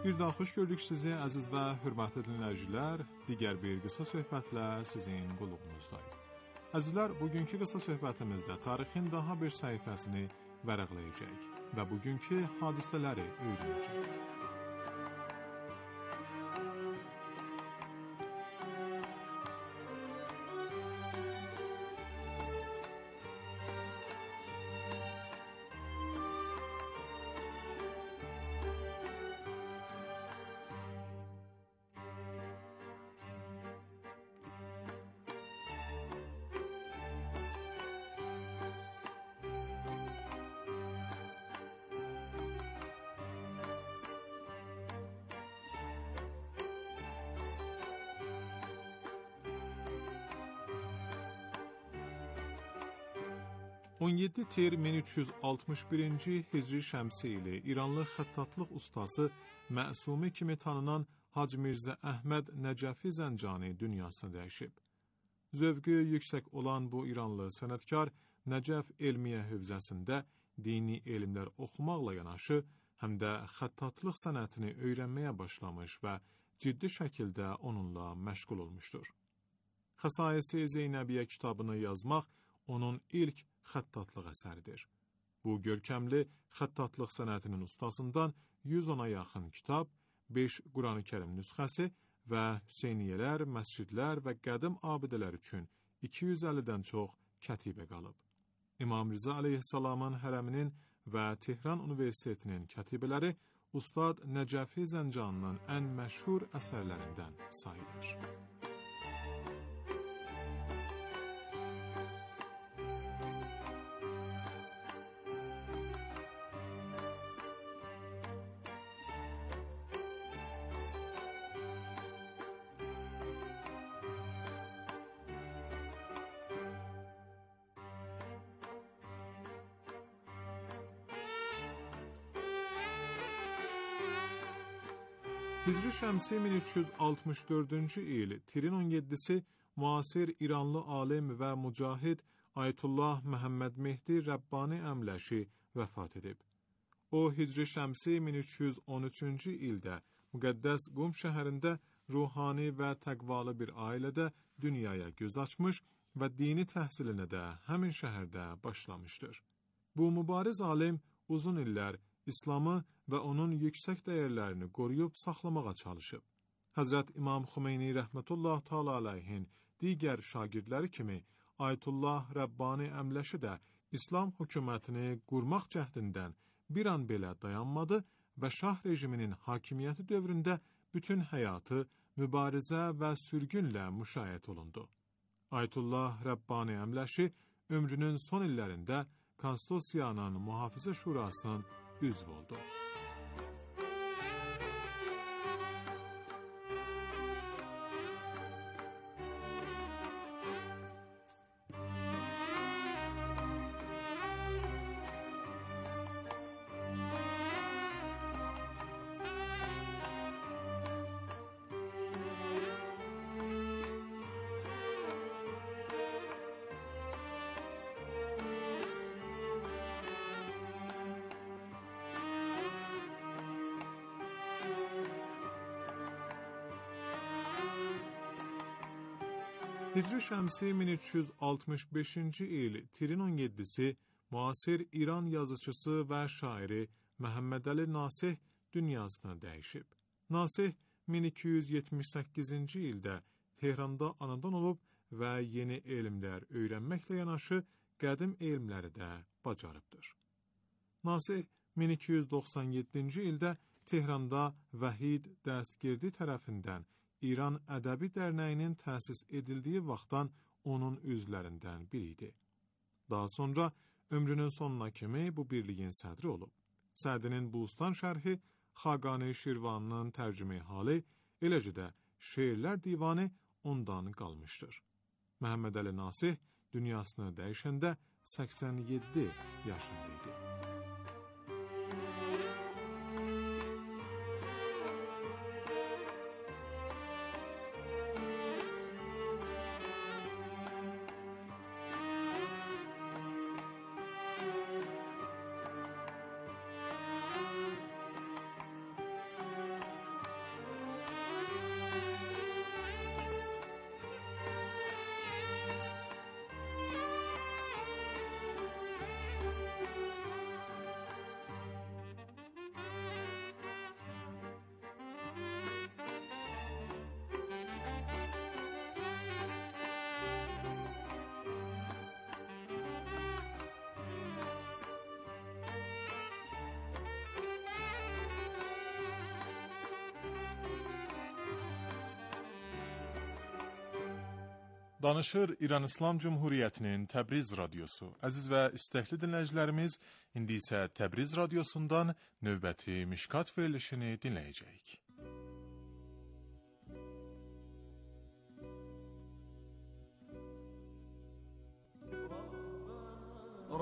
Bir daha xoş gördük sizi əziz və hörmətli dinləyicilər. Digər bir qısa söhbətlə sizin qulluğunuzdayıq. Əzizlər, bugünkü qısa söhbətimizdə tarixin daha bir səhifəsini vərəqləyəcək və bugünkü hadisələri öyrənəcək. On 17 Tir 1361-ci Hicri şəmsi ili İranlı xəttatlıq ustası məsumi kimi tanınan Hacı Mirzə Əhməd Nəcəfi Zəncani dünyasını dəyişib. Zövqü yüksək olan bu İranlı sənətkar Nəcəf elmiyə hövzəsində dini elmlər oxumaqla yanaşı, həm də xəttatlıq sənətini öyrənməyə başlamış və ciddi şəkildə onunla məşğul olmuşdur. Xəsais-i Zeynəbiyyə kitabını yazmaq onun ilk xəttatlıq əsəridir. Bu görkəmli xəttatlıq sənətinin ustasından 110-a yaxın kitab, 5 Qurani-Kərim nüsxəsi və Hüseyniyələr, məscidlər və qədim abidələr üçün 250-dən çox kətibə qalıb. İmam Rza əleyhissalamın hərəminin və Tehran Universitetinin kətibələri Ustad Nəcəfi Zəncanının ən məşhur əsərlərindən sayılır. Hicri şəmsi 1364-cü il Tirin 17-si müasir İranlı alim və mücahid Ayətullah Məhəmməd Mehdi Rəbbani Əmləşi vəfat edib. O, Hicri şəmsi 1313-cü ildə müqəddəs Qum şəhərində ruhani və təqvalı bir ailədə dünyaya göz açmış və dini təhsilinə də həmin şəhərdə başlamışdır. Bu mübariz alim uzun illər İslamı və onun yüksək dəyərlərini qoruyub saxlamağa çalışıb. Həzrət İmam Xümeyni rəhmətullah təala aleyhin digər şagirdləri kimi Ayətullah Rəbbani Əmləşi də İslam hökumətini qurmaq cəhdindən bir an belə dayanmadı və şah rejiminin hakimiyyəti dövründə bütün həyatı mübarizə və sürgünlə müşayiət olundu. Ayətullah Rəbbani Əmləşi ömrünün son illərində Konstitusiyanın Mühafizə Şurasının üzv oldu. Hicri şəmsi 1365-ci il Tirin 17-si müasir İran yazıçısı və şairi Məhəmməd Əli Nasih dünyasına dəyişib. Nasih 1278-ci ildə Tehranda anadan olub və yeni elmlər öyrənməklə yanaşı qədim elmləri də bacarıbdır. Nasih 1297-ci ildə Tehranda Vəhid Dəstgirdi tərəfindən İran Ədəbi Dərnəyinin təsis edildiyi vaxtdan onun üzvlərindən biri idi. Daha sonra ömrünün sonuna kimi bu birliyin sədri olub. Sədinin Bustan şərhi Xaqani Şirvanının tərcüme hali, eləcə də şeirlər divanı ondan qalmışdır. Məhəmməd Əli Nasih dünyasını dəyişəndə 87 yaşında idi. Danışır İran İslam Cumhuriyyətinin Təbriz radiosu. Əziz və istəkli dinləyicilərimiz, indi isə Təbriz radiosundan növbəti Mişkat verilişini dinləyəcəyik.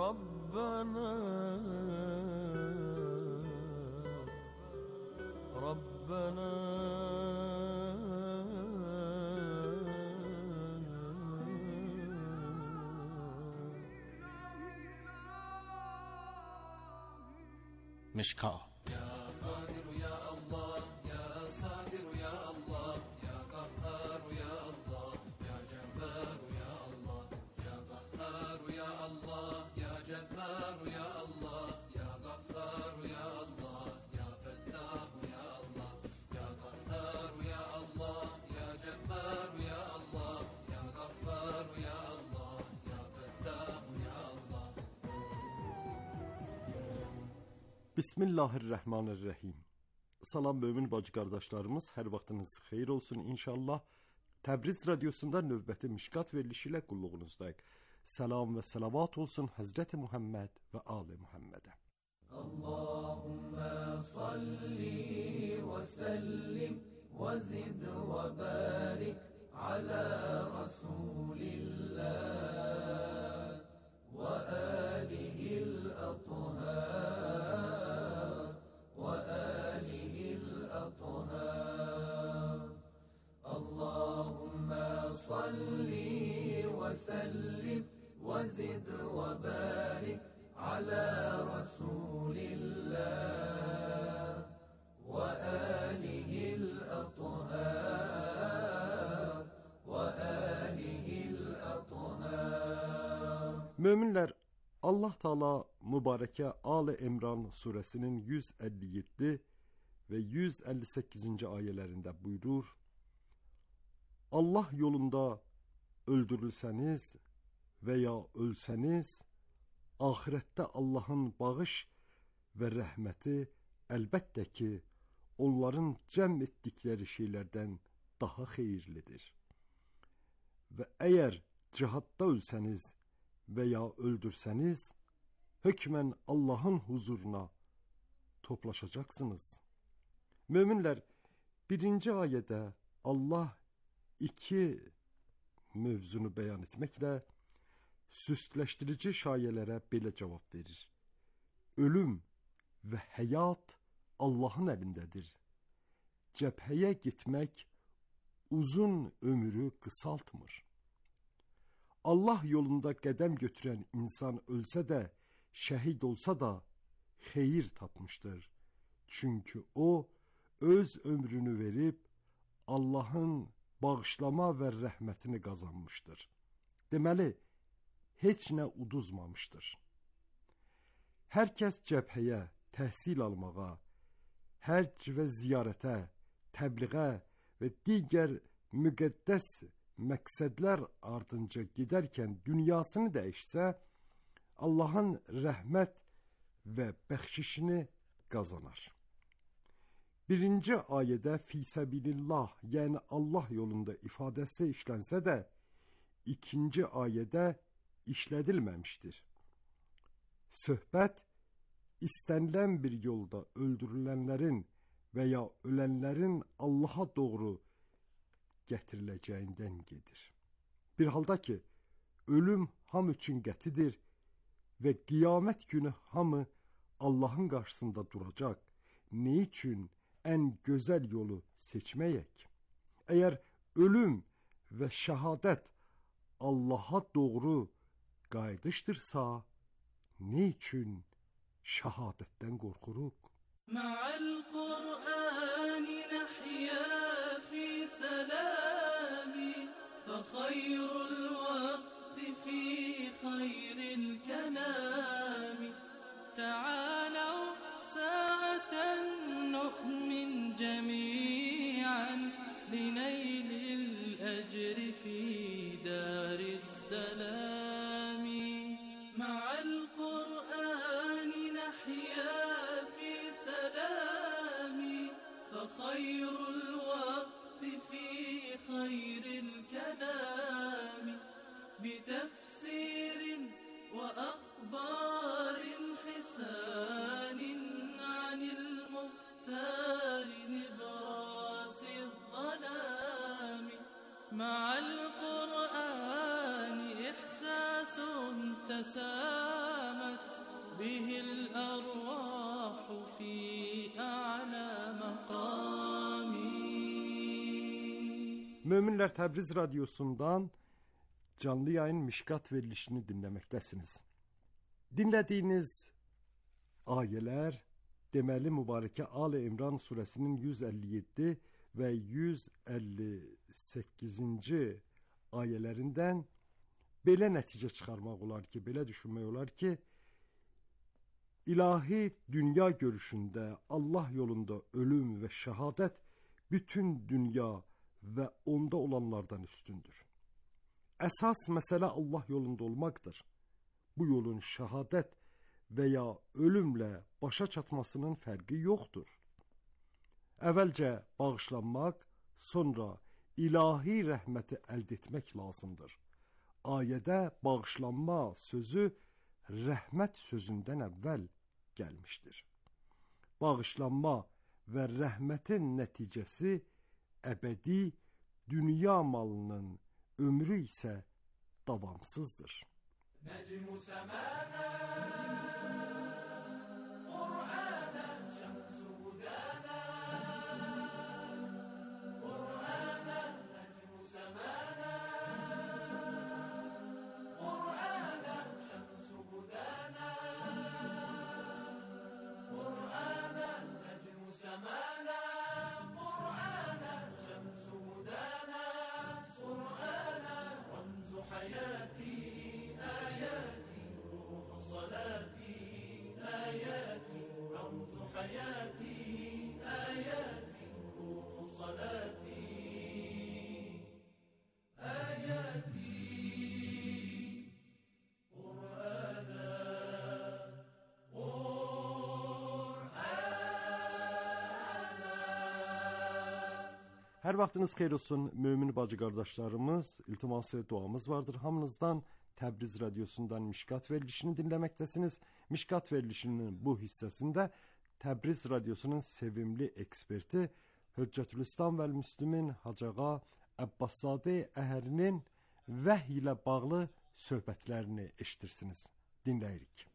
Rabbana مشکا يا قادر يا الله يا ساتر يا الله يا قهار يا الله يا جبار يا الله يا قهار يا الله يا جبار يا الله يا غفار يا الله يا فتاح يا الله يا قهار يا الله يا جبار يا الله يا غفار يا الله يا فتاح يا الله. Bismillahirrahmanirrahim. Salam mömin bacı qardaşlarımız, hər vaxtınız xeyir olsun inşallah. Təbriz radiosunda növbəti Mişkat verilişi ilə qulluğunuzdayıq. Salam və salavat olsun Həzrəti Muhammed və Ali Muhammedə. Allahümme salli ve sellim ve zid ve barik ala Resulillah ve alihil athar ve alihil athar. Allahümme salli ve sellim ve zid ve barik على رسول الله وآله الأطهار وآله الأطهار. Möminlər, Allah Taala mübarəkə Ali İmran surəsinin 157 və 158-ci ayələrində buyurur: Allah yolunda öldürülsəniz və ya ölsəniz, ahirette Allah'ın bağış ve rəhməti əlbəttə ki, onların cəm etdikləri şeylərdən daha xeyirlidir. Və əgər cihadda ölsəniz və ya öldürsəniz, hökmən Allah'ın huzuruna toplaşacaqsınız. Möminlər, birinci ayədə Allah iki mövzunu bəyan etməklə süsləşdirici şayələrə belə cavab verir: ölüm və həyat Allahın əlindədir. Cəbhəyə getmək uzun ömrü qısaltmır. Allah yolunda qədəm götürən insan ölsə də, şəhid olsa da xeyir tapmışdır. Çünki o öz ömrünü verib Allahın bağışlama və rəhmətini qazanmışdır. Deməli, heç nə uduzmamışdır. Hər kəs cəbhəyə, təhsil almağa, həcc və ziyarətə, təbliğə və digər müqəddəs məqsədlər ardınca gedərkən dünyasını dəyişsə, Allahın rəhmət və bəxşişini qazanar. Birinci ayədə fisəbilillah, yəni Allah yolunda ifadəsi işlənsə də, ikinci ayədə işlədilməmişdir. Söhbət istənilən bir yolda öldürülənlərin və ya ölənlərin Allaha doğru gətiriləcəyindən gedir. Bir halda ki, ölüm hamı üçün qətidir və qiyamət günü hamı Allahın qarşısında duracaq. Ne üçün ən gözəl yolu seçməyək? Əgər ölüm və şəhadət Allaha doğru qayıdışdırsa, ne üçün şəhadətdən qorxuruq? Ma'al Qur'ani nahya fi salami fa khayrul waqti fi khayril kalami ta'alaw sa'atan nu'min jami'an linaylil ajri fi daris salami ma'al Qur'ani nahya fi salami fa khayrul waqti fi khayril kalami بتفسير وأخبار حسان عن المختار نبراس الظلام مع القرآن إحساس تسامت به الأرواح في أعلى مقام. Möminlər Təbriz Radyosu'ndan canlı yayın Mişkat verilişini dinləməkdəsiniz. Dinlədiyiniz ayələr deməli mübarəkə Ali İmran surəsinin 157 və 158-ci ayələrindən belə nəticə çıxarmaq olar ki, belə düşünmək olar ki, ilahi dünya görüşündə Allah yolunda ölüm və şəhadət bütün dünya və onda olanlardan üstündür. Əsas məsələ Allah yolunda olmaqdır. Bu yolun şəhadət və ya ölümlə başa çatmasının fərqi yoxdur. Əvvəlcə bağışlanmaq, sonra ilahi rəhməti əldə etmək lazımdır. Ayədə bağışlanma sözü rəhmət sözündən əvvəl gəlmişdir. Bağışlanma və rəhmətin nəticəsi əbədi dünya malının ömrü isə davamsızdır. Necmu semana Qur'ana şemsu hudana Qur'ana necmu semana Qur'ana şemsu hudana Qur'ana necmu semana Qur'ana şemsu hudana Qur'ana ramzu hayati آياتي روح صلاتي آياتي رمز حياتي آياتي روح صلاتي آياتي قرآنا Hər vaxtınız xeyir olsun mömin bacı qardaşlarımız, iltiması duamız vardır hamınızdan. Təbriz Radyosu'ndan Mişkat verilişini dinləməkdəsiniz. Mişkat verilişinin bu hissəsində Təbriz Radyosu'nun sevimli eksperti Hüccətülislam və Müslümin Hacağa Əbbaszadə Əhərinin vəhy ilə bağlı söhbətlərini eşitirsiniz. Dinləyirik.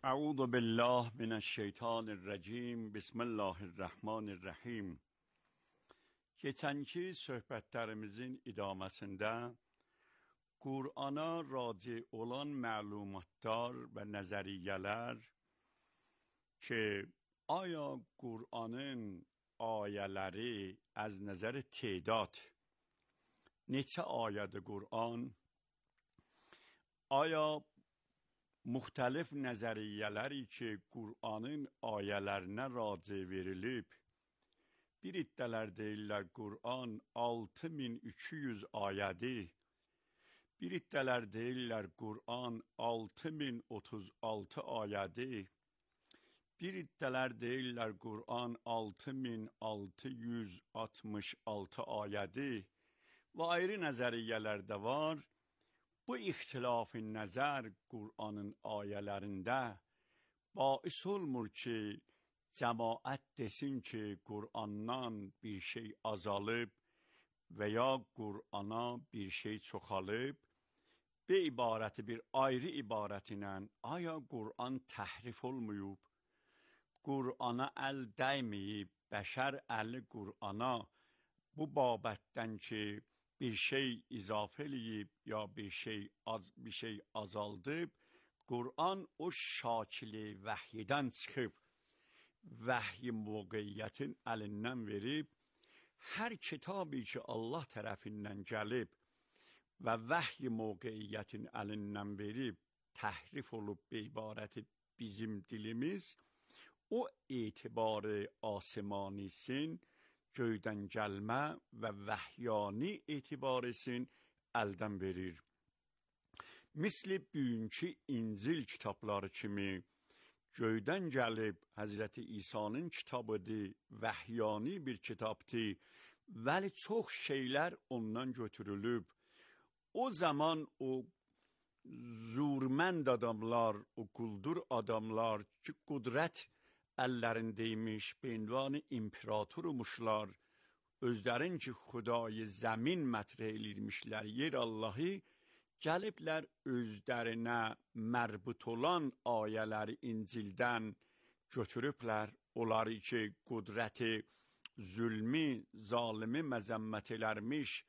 Əuzu billah minəşşeytanirracim. Bismillahirrahmanirrahim. Keçənki söhbətlərimizin idaməsində Qur'ana raci olan məlumatlar və nəzəriyyələr ki, aya Qur'anın ayələri az nəzər tədat neçə ayədir Qur'an? Aya müxtəlif nəzəriyyələri ki, Qur'anın ayələrinə raci verilib, bir iddələr deyirlər Qur'an 6200 ayədir. Bir iddələr deyirlər Qur'an 6036 ayədir. Bir iddələr deyirlər Qur'an 6666 ayədir. Və ayrı nəzəriyyələr də var. bu ixtilaf nəzər Qur'anın ayələrində bais olmur ki, cəmaət desin ki, Qur'andan bir şey azalıb və ya Qur'ana bir şey çoxalıb, bir ibarəti bir ayrı ibarət ilə aya Qur'an təhrif olmayıb, Qur'ana əl dəyməyib, bəşər əli Qur'ana bu babətdən ki, bir şey izafə eləyib ya bir şey azaldıb, Qur'an o şakili vəhyidən çıxıb, vəhyi moqeyyətin əlindən verib, hər kitabı ki Allah tərəfindən gəlib və vəhyi moqeyyətin əlindən verib, təhrif olub bir ibarəti bizim dilimiz, o etibarı asimanisin, göydən gəlmə və vəhyani etibarısin əldən verir. Misli bugünkü İncil kitabları kimi göydən gəlib Həzrəti İsa'nın kitabıdır, vəhyani bir kitabdır, vəli çox şeylər ondan götürülüb. O zaman o zurmənd adamlar, o quldur adamlar ki, qudrət əllərindəymiş, beinvanı imperatormuşlar, özlərin ki, xudayı zəmin mətrə elirmişlər, yer Allahı, gəliblər özlərinə mərbut olan ayələri İncildən götürüblər, onları ki, qudrəti, zülmü, zalimi məzəmmət elərmiş,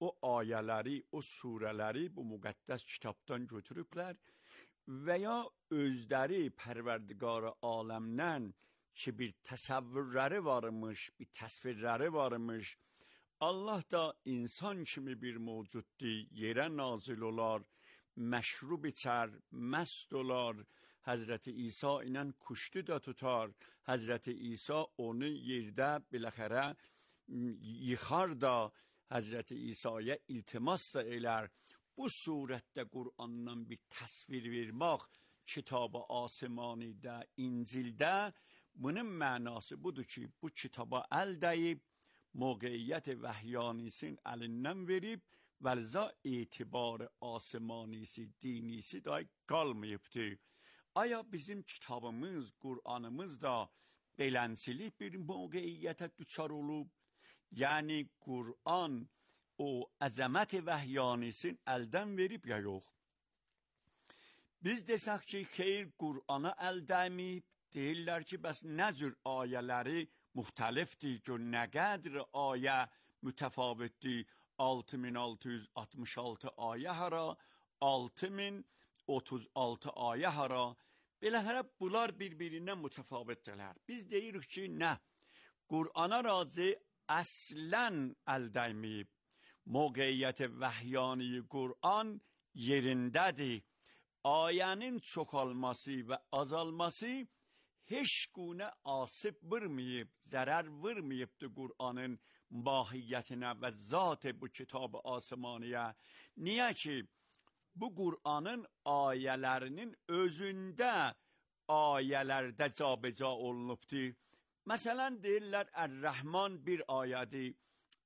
o ayələri, o surələri bu müqəddəs kitabdan götürüblər və ya özləri pərverdigar-ı aləmdən ki, bir təsəvvürləri varmış, bir təsvirləri varmış, Allah da insan kimi bir mövcuddur, yerə nazil olar, məşrub içər, məst olar, Həzrəti İsa ilə kuştu da tutar, Həzrəti İsa onu yerdə biləxərə yıxar da, Həzrəti İsa'ya iltimas da elər. Bu surətdə Qur'andan bir təsvir vermək kitab-ı asimanidə, İncildə, bunun mənası budur ki, bu kitaba əl dəyib, موقعیت وحیانیسین əlindən verib və liza etibarı asimanisi, dinisi da qalmayıbdır. Aya bizim kitabımız, Qur'anımız da belənsili bir موقعیətə düçar olub? Yəni Qur'an o əzəmət vəhyanisin əldən verib ya yox? Biz desək ki, xeyr Qur'ana əl dəyməyib, deyirlər ki, bəs nə cür ayələri müxtəlifdir ki, nə qədər ayə mütəfavitdir, 6666 ayə hara, 6036 ayə hara, beləhərə bunlar bir-birindən mütəfavitdirlər. Biz deyirik ki, nə? Qur'ana razı əslən əl dəyməyib. Moqeyyət vəhyani Qur'an yerindədir. Ayənin çoxalması və azalması heç günə asib vurmayıb, zərər vurmayıbdır Qur'anın mahiyyətinə və zat-ı bu kitab-ı asimaniyə. Niyə ki, bu Qur'anın ayələrinin özündə ayələrdə cabeca olunubdur. Məsələn, deyirlər, Ər-Rəhman bir ayədir,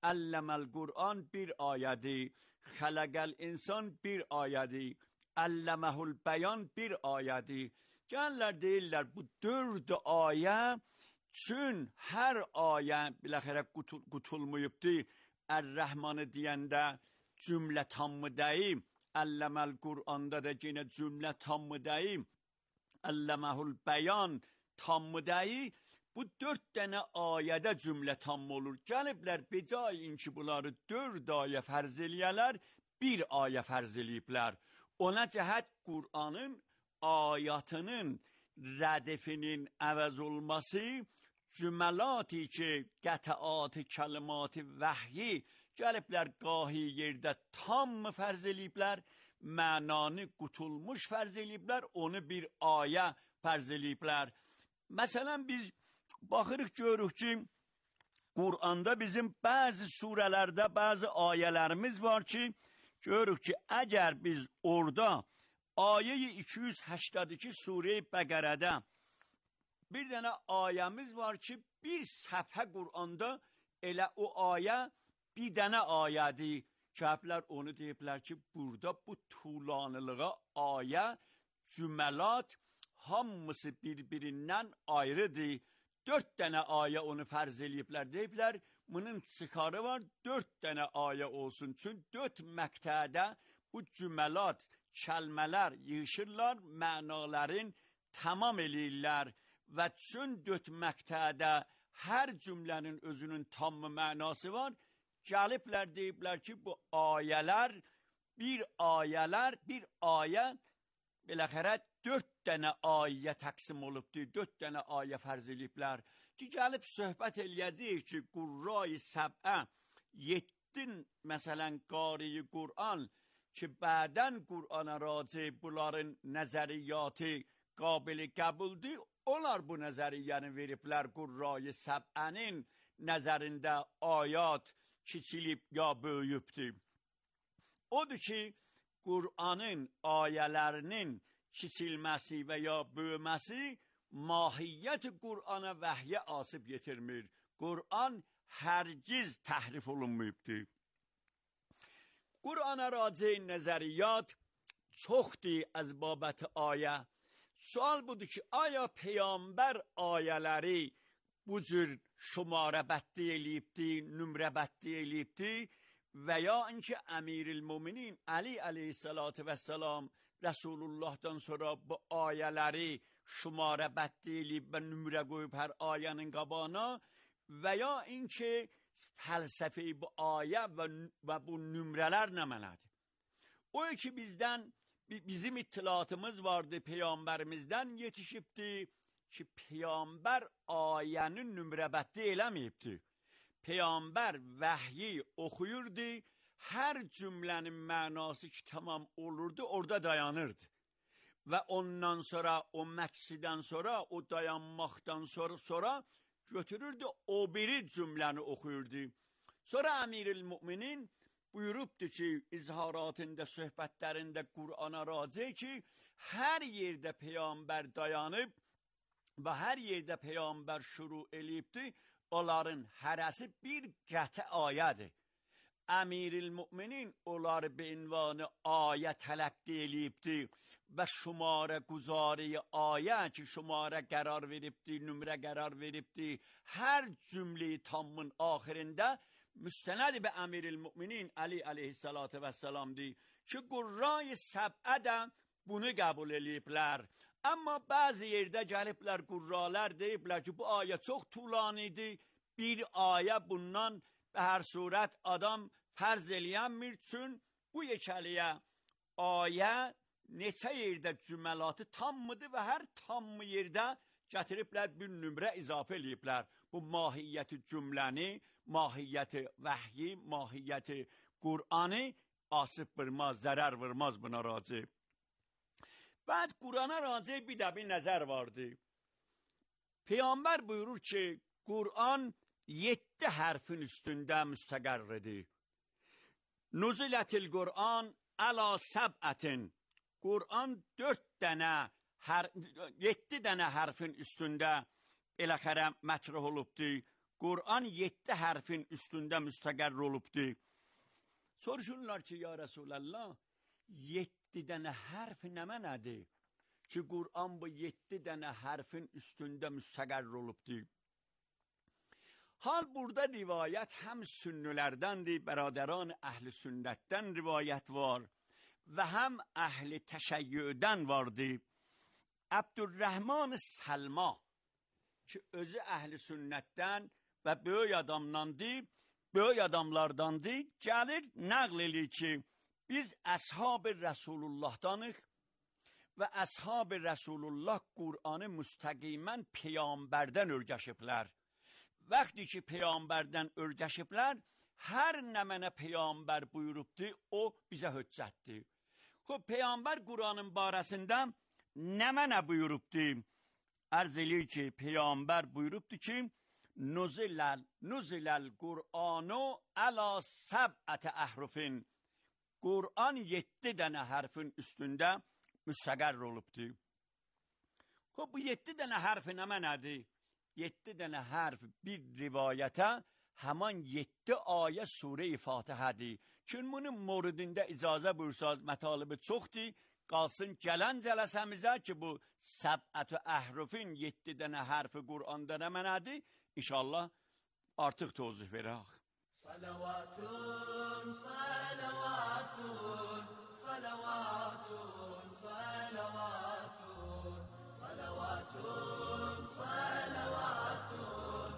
Əlləməl Qur'an bir ayədir, Xələqəl insan bir ayədir, Əlləməhul bəyan bir ayədir. Gəllər deyirlər, bu 4 ayə üçün hər ayə biləxərə qutulmayıbdır. Ər-Rəhmanı deyəndə cümlə tammı deyim, Əlləməl Qur'anda da yenə cümlə tammı deyim, Əlləməhul bəyan tammı deyim. Bu 4 dənə ayədə cümlə tam olur. Gəliblər, becayin ki, bunları 4 ayə fərz eləyələr, bir ayə fərz eləyiblər. Ona cəhət Qur'anın ayatının rədifinin əvəz olması, cüməlati ki, qətəat-ı kəlimat-ı vəhyi gəliblər, qahi yerdə tam fərz eləyiblər, mənanı qutulmuş fərz eləyiblər, onu bir ayə fərz eləyiblər. Məsələn, biz baxırıq, görürük ki, Qur'anda bizim bəzi surələrdə bəzi ayələrimiz var ki, görürük ki, əgər biz orada ayə-i 282 Surə-i Bəqərədə bir dənə ayəmiz var ki, bir səfhə Qur'anda elə o ayə bir dənə ayədir. Cəhəblər onu deyiblər ki, burada bu tulanılığa ayə, cüməlat hamısı bir-birindən ayrıdır. 4 dənə ayə onu fərz eləyiblər. Deyiblər, bunun çıxarı var, 4 dənə ayə olsun. Çünki 4 məqtədə bu cüməlat, kəlmələr yığışırlar, mənaların tamam eləyirlər. Və çün 4 məqtədə hər cümlənin özünün tam mənası var. Gəliblər deyiblər ki, bu ayələr, bir ayə, beləxərə 4 dənə ayə təqsim olubdur, 4 dənə ayə fərz eləyiblər. Ki, gəlib söhbət eləyəcək ki, Qurra-i Səbə, 7 məsələn qari-i Qur'an ki, bədən Qur'ana raci bunların nəzəriyyatı qabili qəbuldur, onlar bu nəzəriyyəni veriblər Qurra-i Səbənin nəzərində ayat kiçilib ya böyüyübdür. Odur ki, Qur'anın ayələrinin kiçilməsi və ya böyüməsi mahiyyət Qur'ana vəhyə asıb yetirmir. Qur'an hərgiz təhrif olunmayıbdır. Qur'ana raci nəzəriyyat çoxdur az babət ayə. Sual budur ki, aya Peyğəmbər ayələri bu cür şumarə bətti eləyibdir, nümrə bətti eləyibdir və ya inki Əmiril-Müminin Əli əleyhissalatu vəssalam Rəsulullahdan sonra bu ayələri şumarə bətti eləyib və nümrə qoyub hər ayənin qabağına və ya inki fəlsəfi bu ayə və bu nümrələr nə mənadır? O ki bizim ittilatımız vardı, Peyğəmbərimizdən yetişibdir ki, Peyğəmbər ayənin nümrə bətti eləməyibdir. Peyğəmbər vəhyi oxuyurdu, hər cümlənin mənası ki, tamam olurdu, orada dayanırdı. Və ondan sonra, o məqsidən sonra, o dayanmaqdan sonra götürürdü, o biri cümləni oxuyurdu. Sonra Əmiril-Müminin buyurubdur ki, izharatında, söhbətlərində Qur'ana raci ki, hər yerdə Peyğəmbər dayanıb və hər yerdə Peyğəmbər şuru eləyibdir, onların hərəsi bir qəti ayədir. Əmiril-Müminin onları be ünvanı ayə tələqqi eləyibdir və şumarə quzari ayə ki, şumarə qərar veribdir, nümrə qərar veribdir, hər cümləyi tammın axirində müstənəd be Əmiril-Müminin Əli əleyhissalatu vəssalamdır ki, Qurra-i Səbə də bunu qəbul eləyiblər. Amma bəzi yerdə gəliblər qurralar deyiblər ki, bu ayə çox tulanidir, bir ayə bundan və hər surət adam fərz eləyənmir, çün bu yekəliyə ayə neçə yerdə cüməlatı tammıdır və hər tammı yerdə gətiriblər bir nümrə izafə eləyiblər. Bu mahiyyəti cümləni, mahiyyəti vəhyi, mahiyyəti Qur'anı asıb vurmaz, zərər vurmaz buna raci. Bəd Qur'ana raci bir də bir nəzər vardı. Peyğəmbər buyurur ki, Qur'an 7 hərfin üstündə müstəqərridir. Nuzilətil Qur'an əla səb'ətin. Qur'an 7 dənə hərfin üstündə eləxərə mətrəh olubdur. Qur'an 7 hərfin üstündə müstəqərr olubdur. Soruşurlar ki, ya Rəsulallah, 7 dənə hərf nə mənədir ki, Qur'an bu 7 dənə hərfin üstündə müstəqərr olubdur. Hal burada rivayət həm sünnülərdəndir, bərədəran əhl-i sünnətdən rivayət var və həm əhl-i təşəyyüdən vardı. Əbdülrəhman Səlma ki, özü əhl-i sünnətdən və böyük adamlardandır, gəlir, nəql edir ki, biz əshab-ı Rəsulullah-danıq və əshab-ı Rəsulullah Qur'anı müstəqimən Peyğəmbərdən örgəşiblər. Vaxtı ki, Peyğəmbərdən örgəşiblər, hər nə mənə Peyğəmbər buyurubdur, o bizə höccətdir. Peyğəmbər Qur'anın barəsində nə mənə buyurubdur? Ərz eləyir ki, Peyğəmbər buyurubdur ki, Nuziləl Qur'anu əla səb'ətə əhrufin. Qur'an 7 dənə hərfin üstündə müstəqərr olubdur. Bu 7 dənə hərfi nə mənədir? 7 dənə hərf bir rivayətə həman 7 ayə surə-i Fatihədir Kim bunun moridində icazə buyursaz, mətalibi çoxdur, qalsın gələn cələsəmizə ki, bu səbət-ü əhrufin 7 dənə hərfi Qur'anda nə mənədir? İnşallah artıq tozih verək. Salavatun, salavatun, salavatun, salavatun, salavatun, salavatun,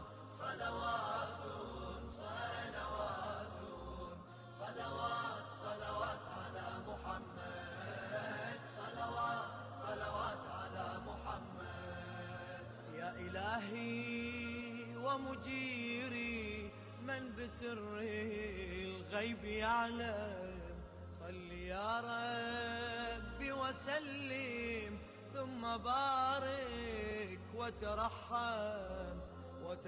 salavatun, salavatun, salavat, salavat ala Muhammed, salavat, salavat ala Muhammed. Ya ilahi wa mujiri من بسر الغيب يعلم صل يا ربي وسلم ثم بارك وترحم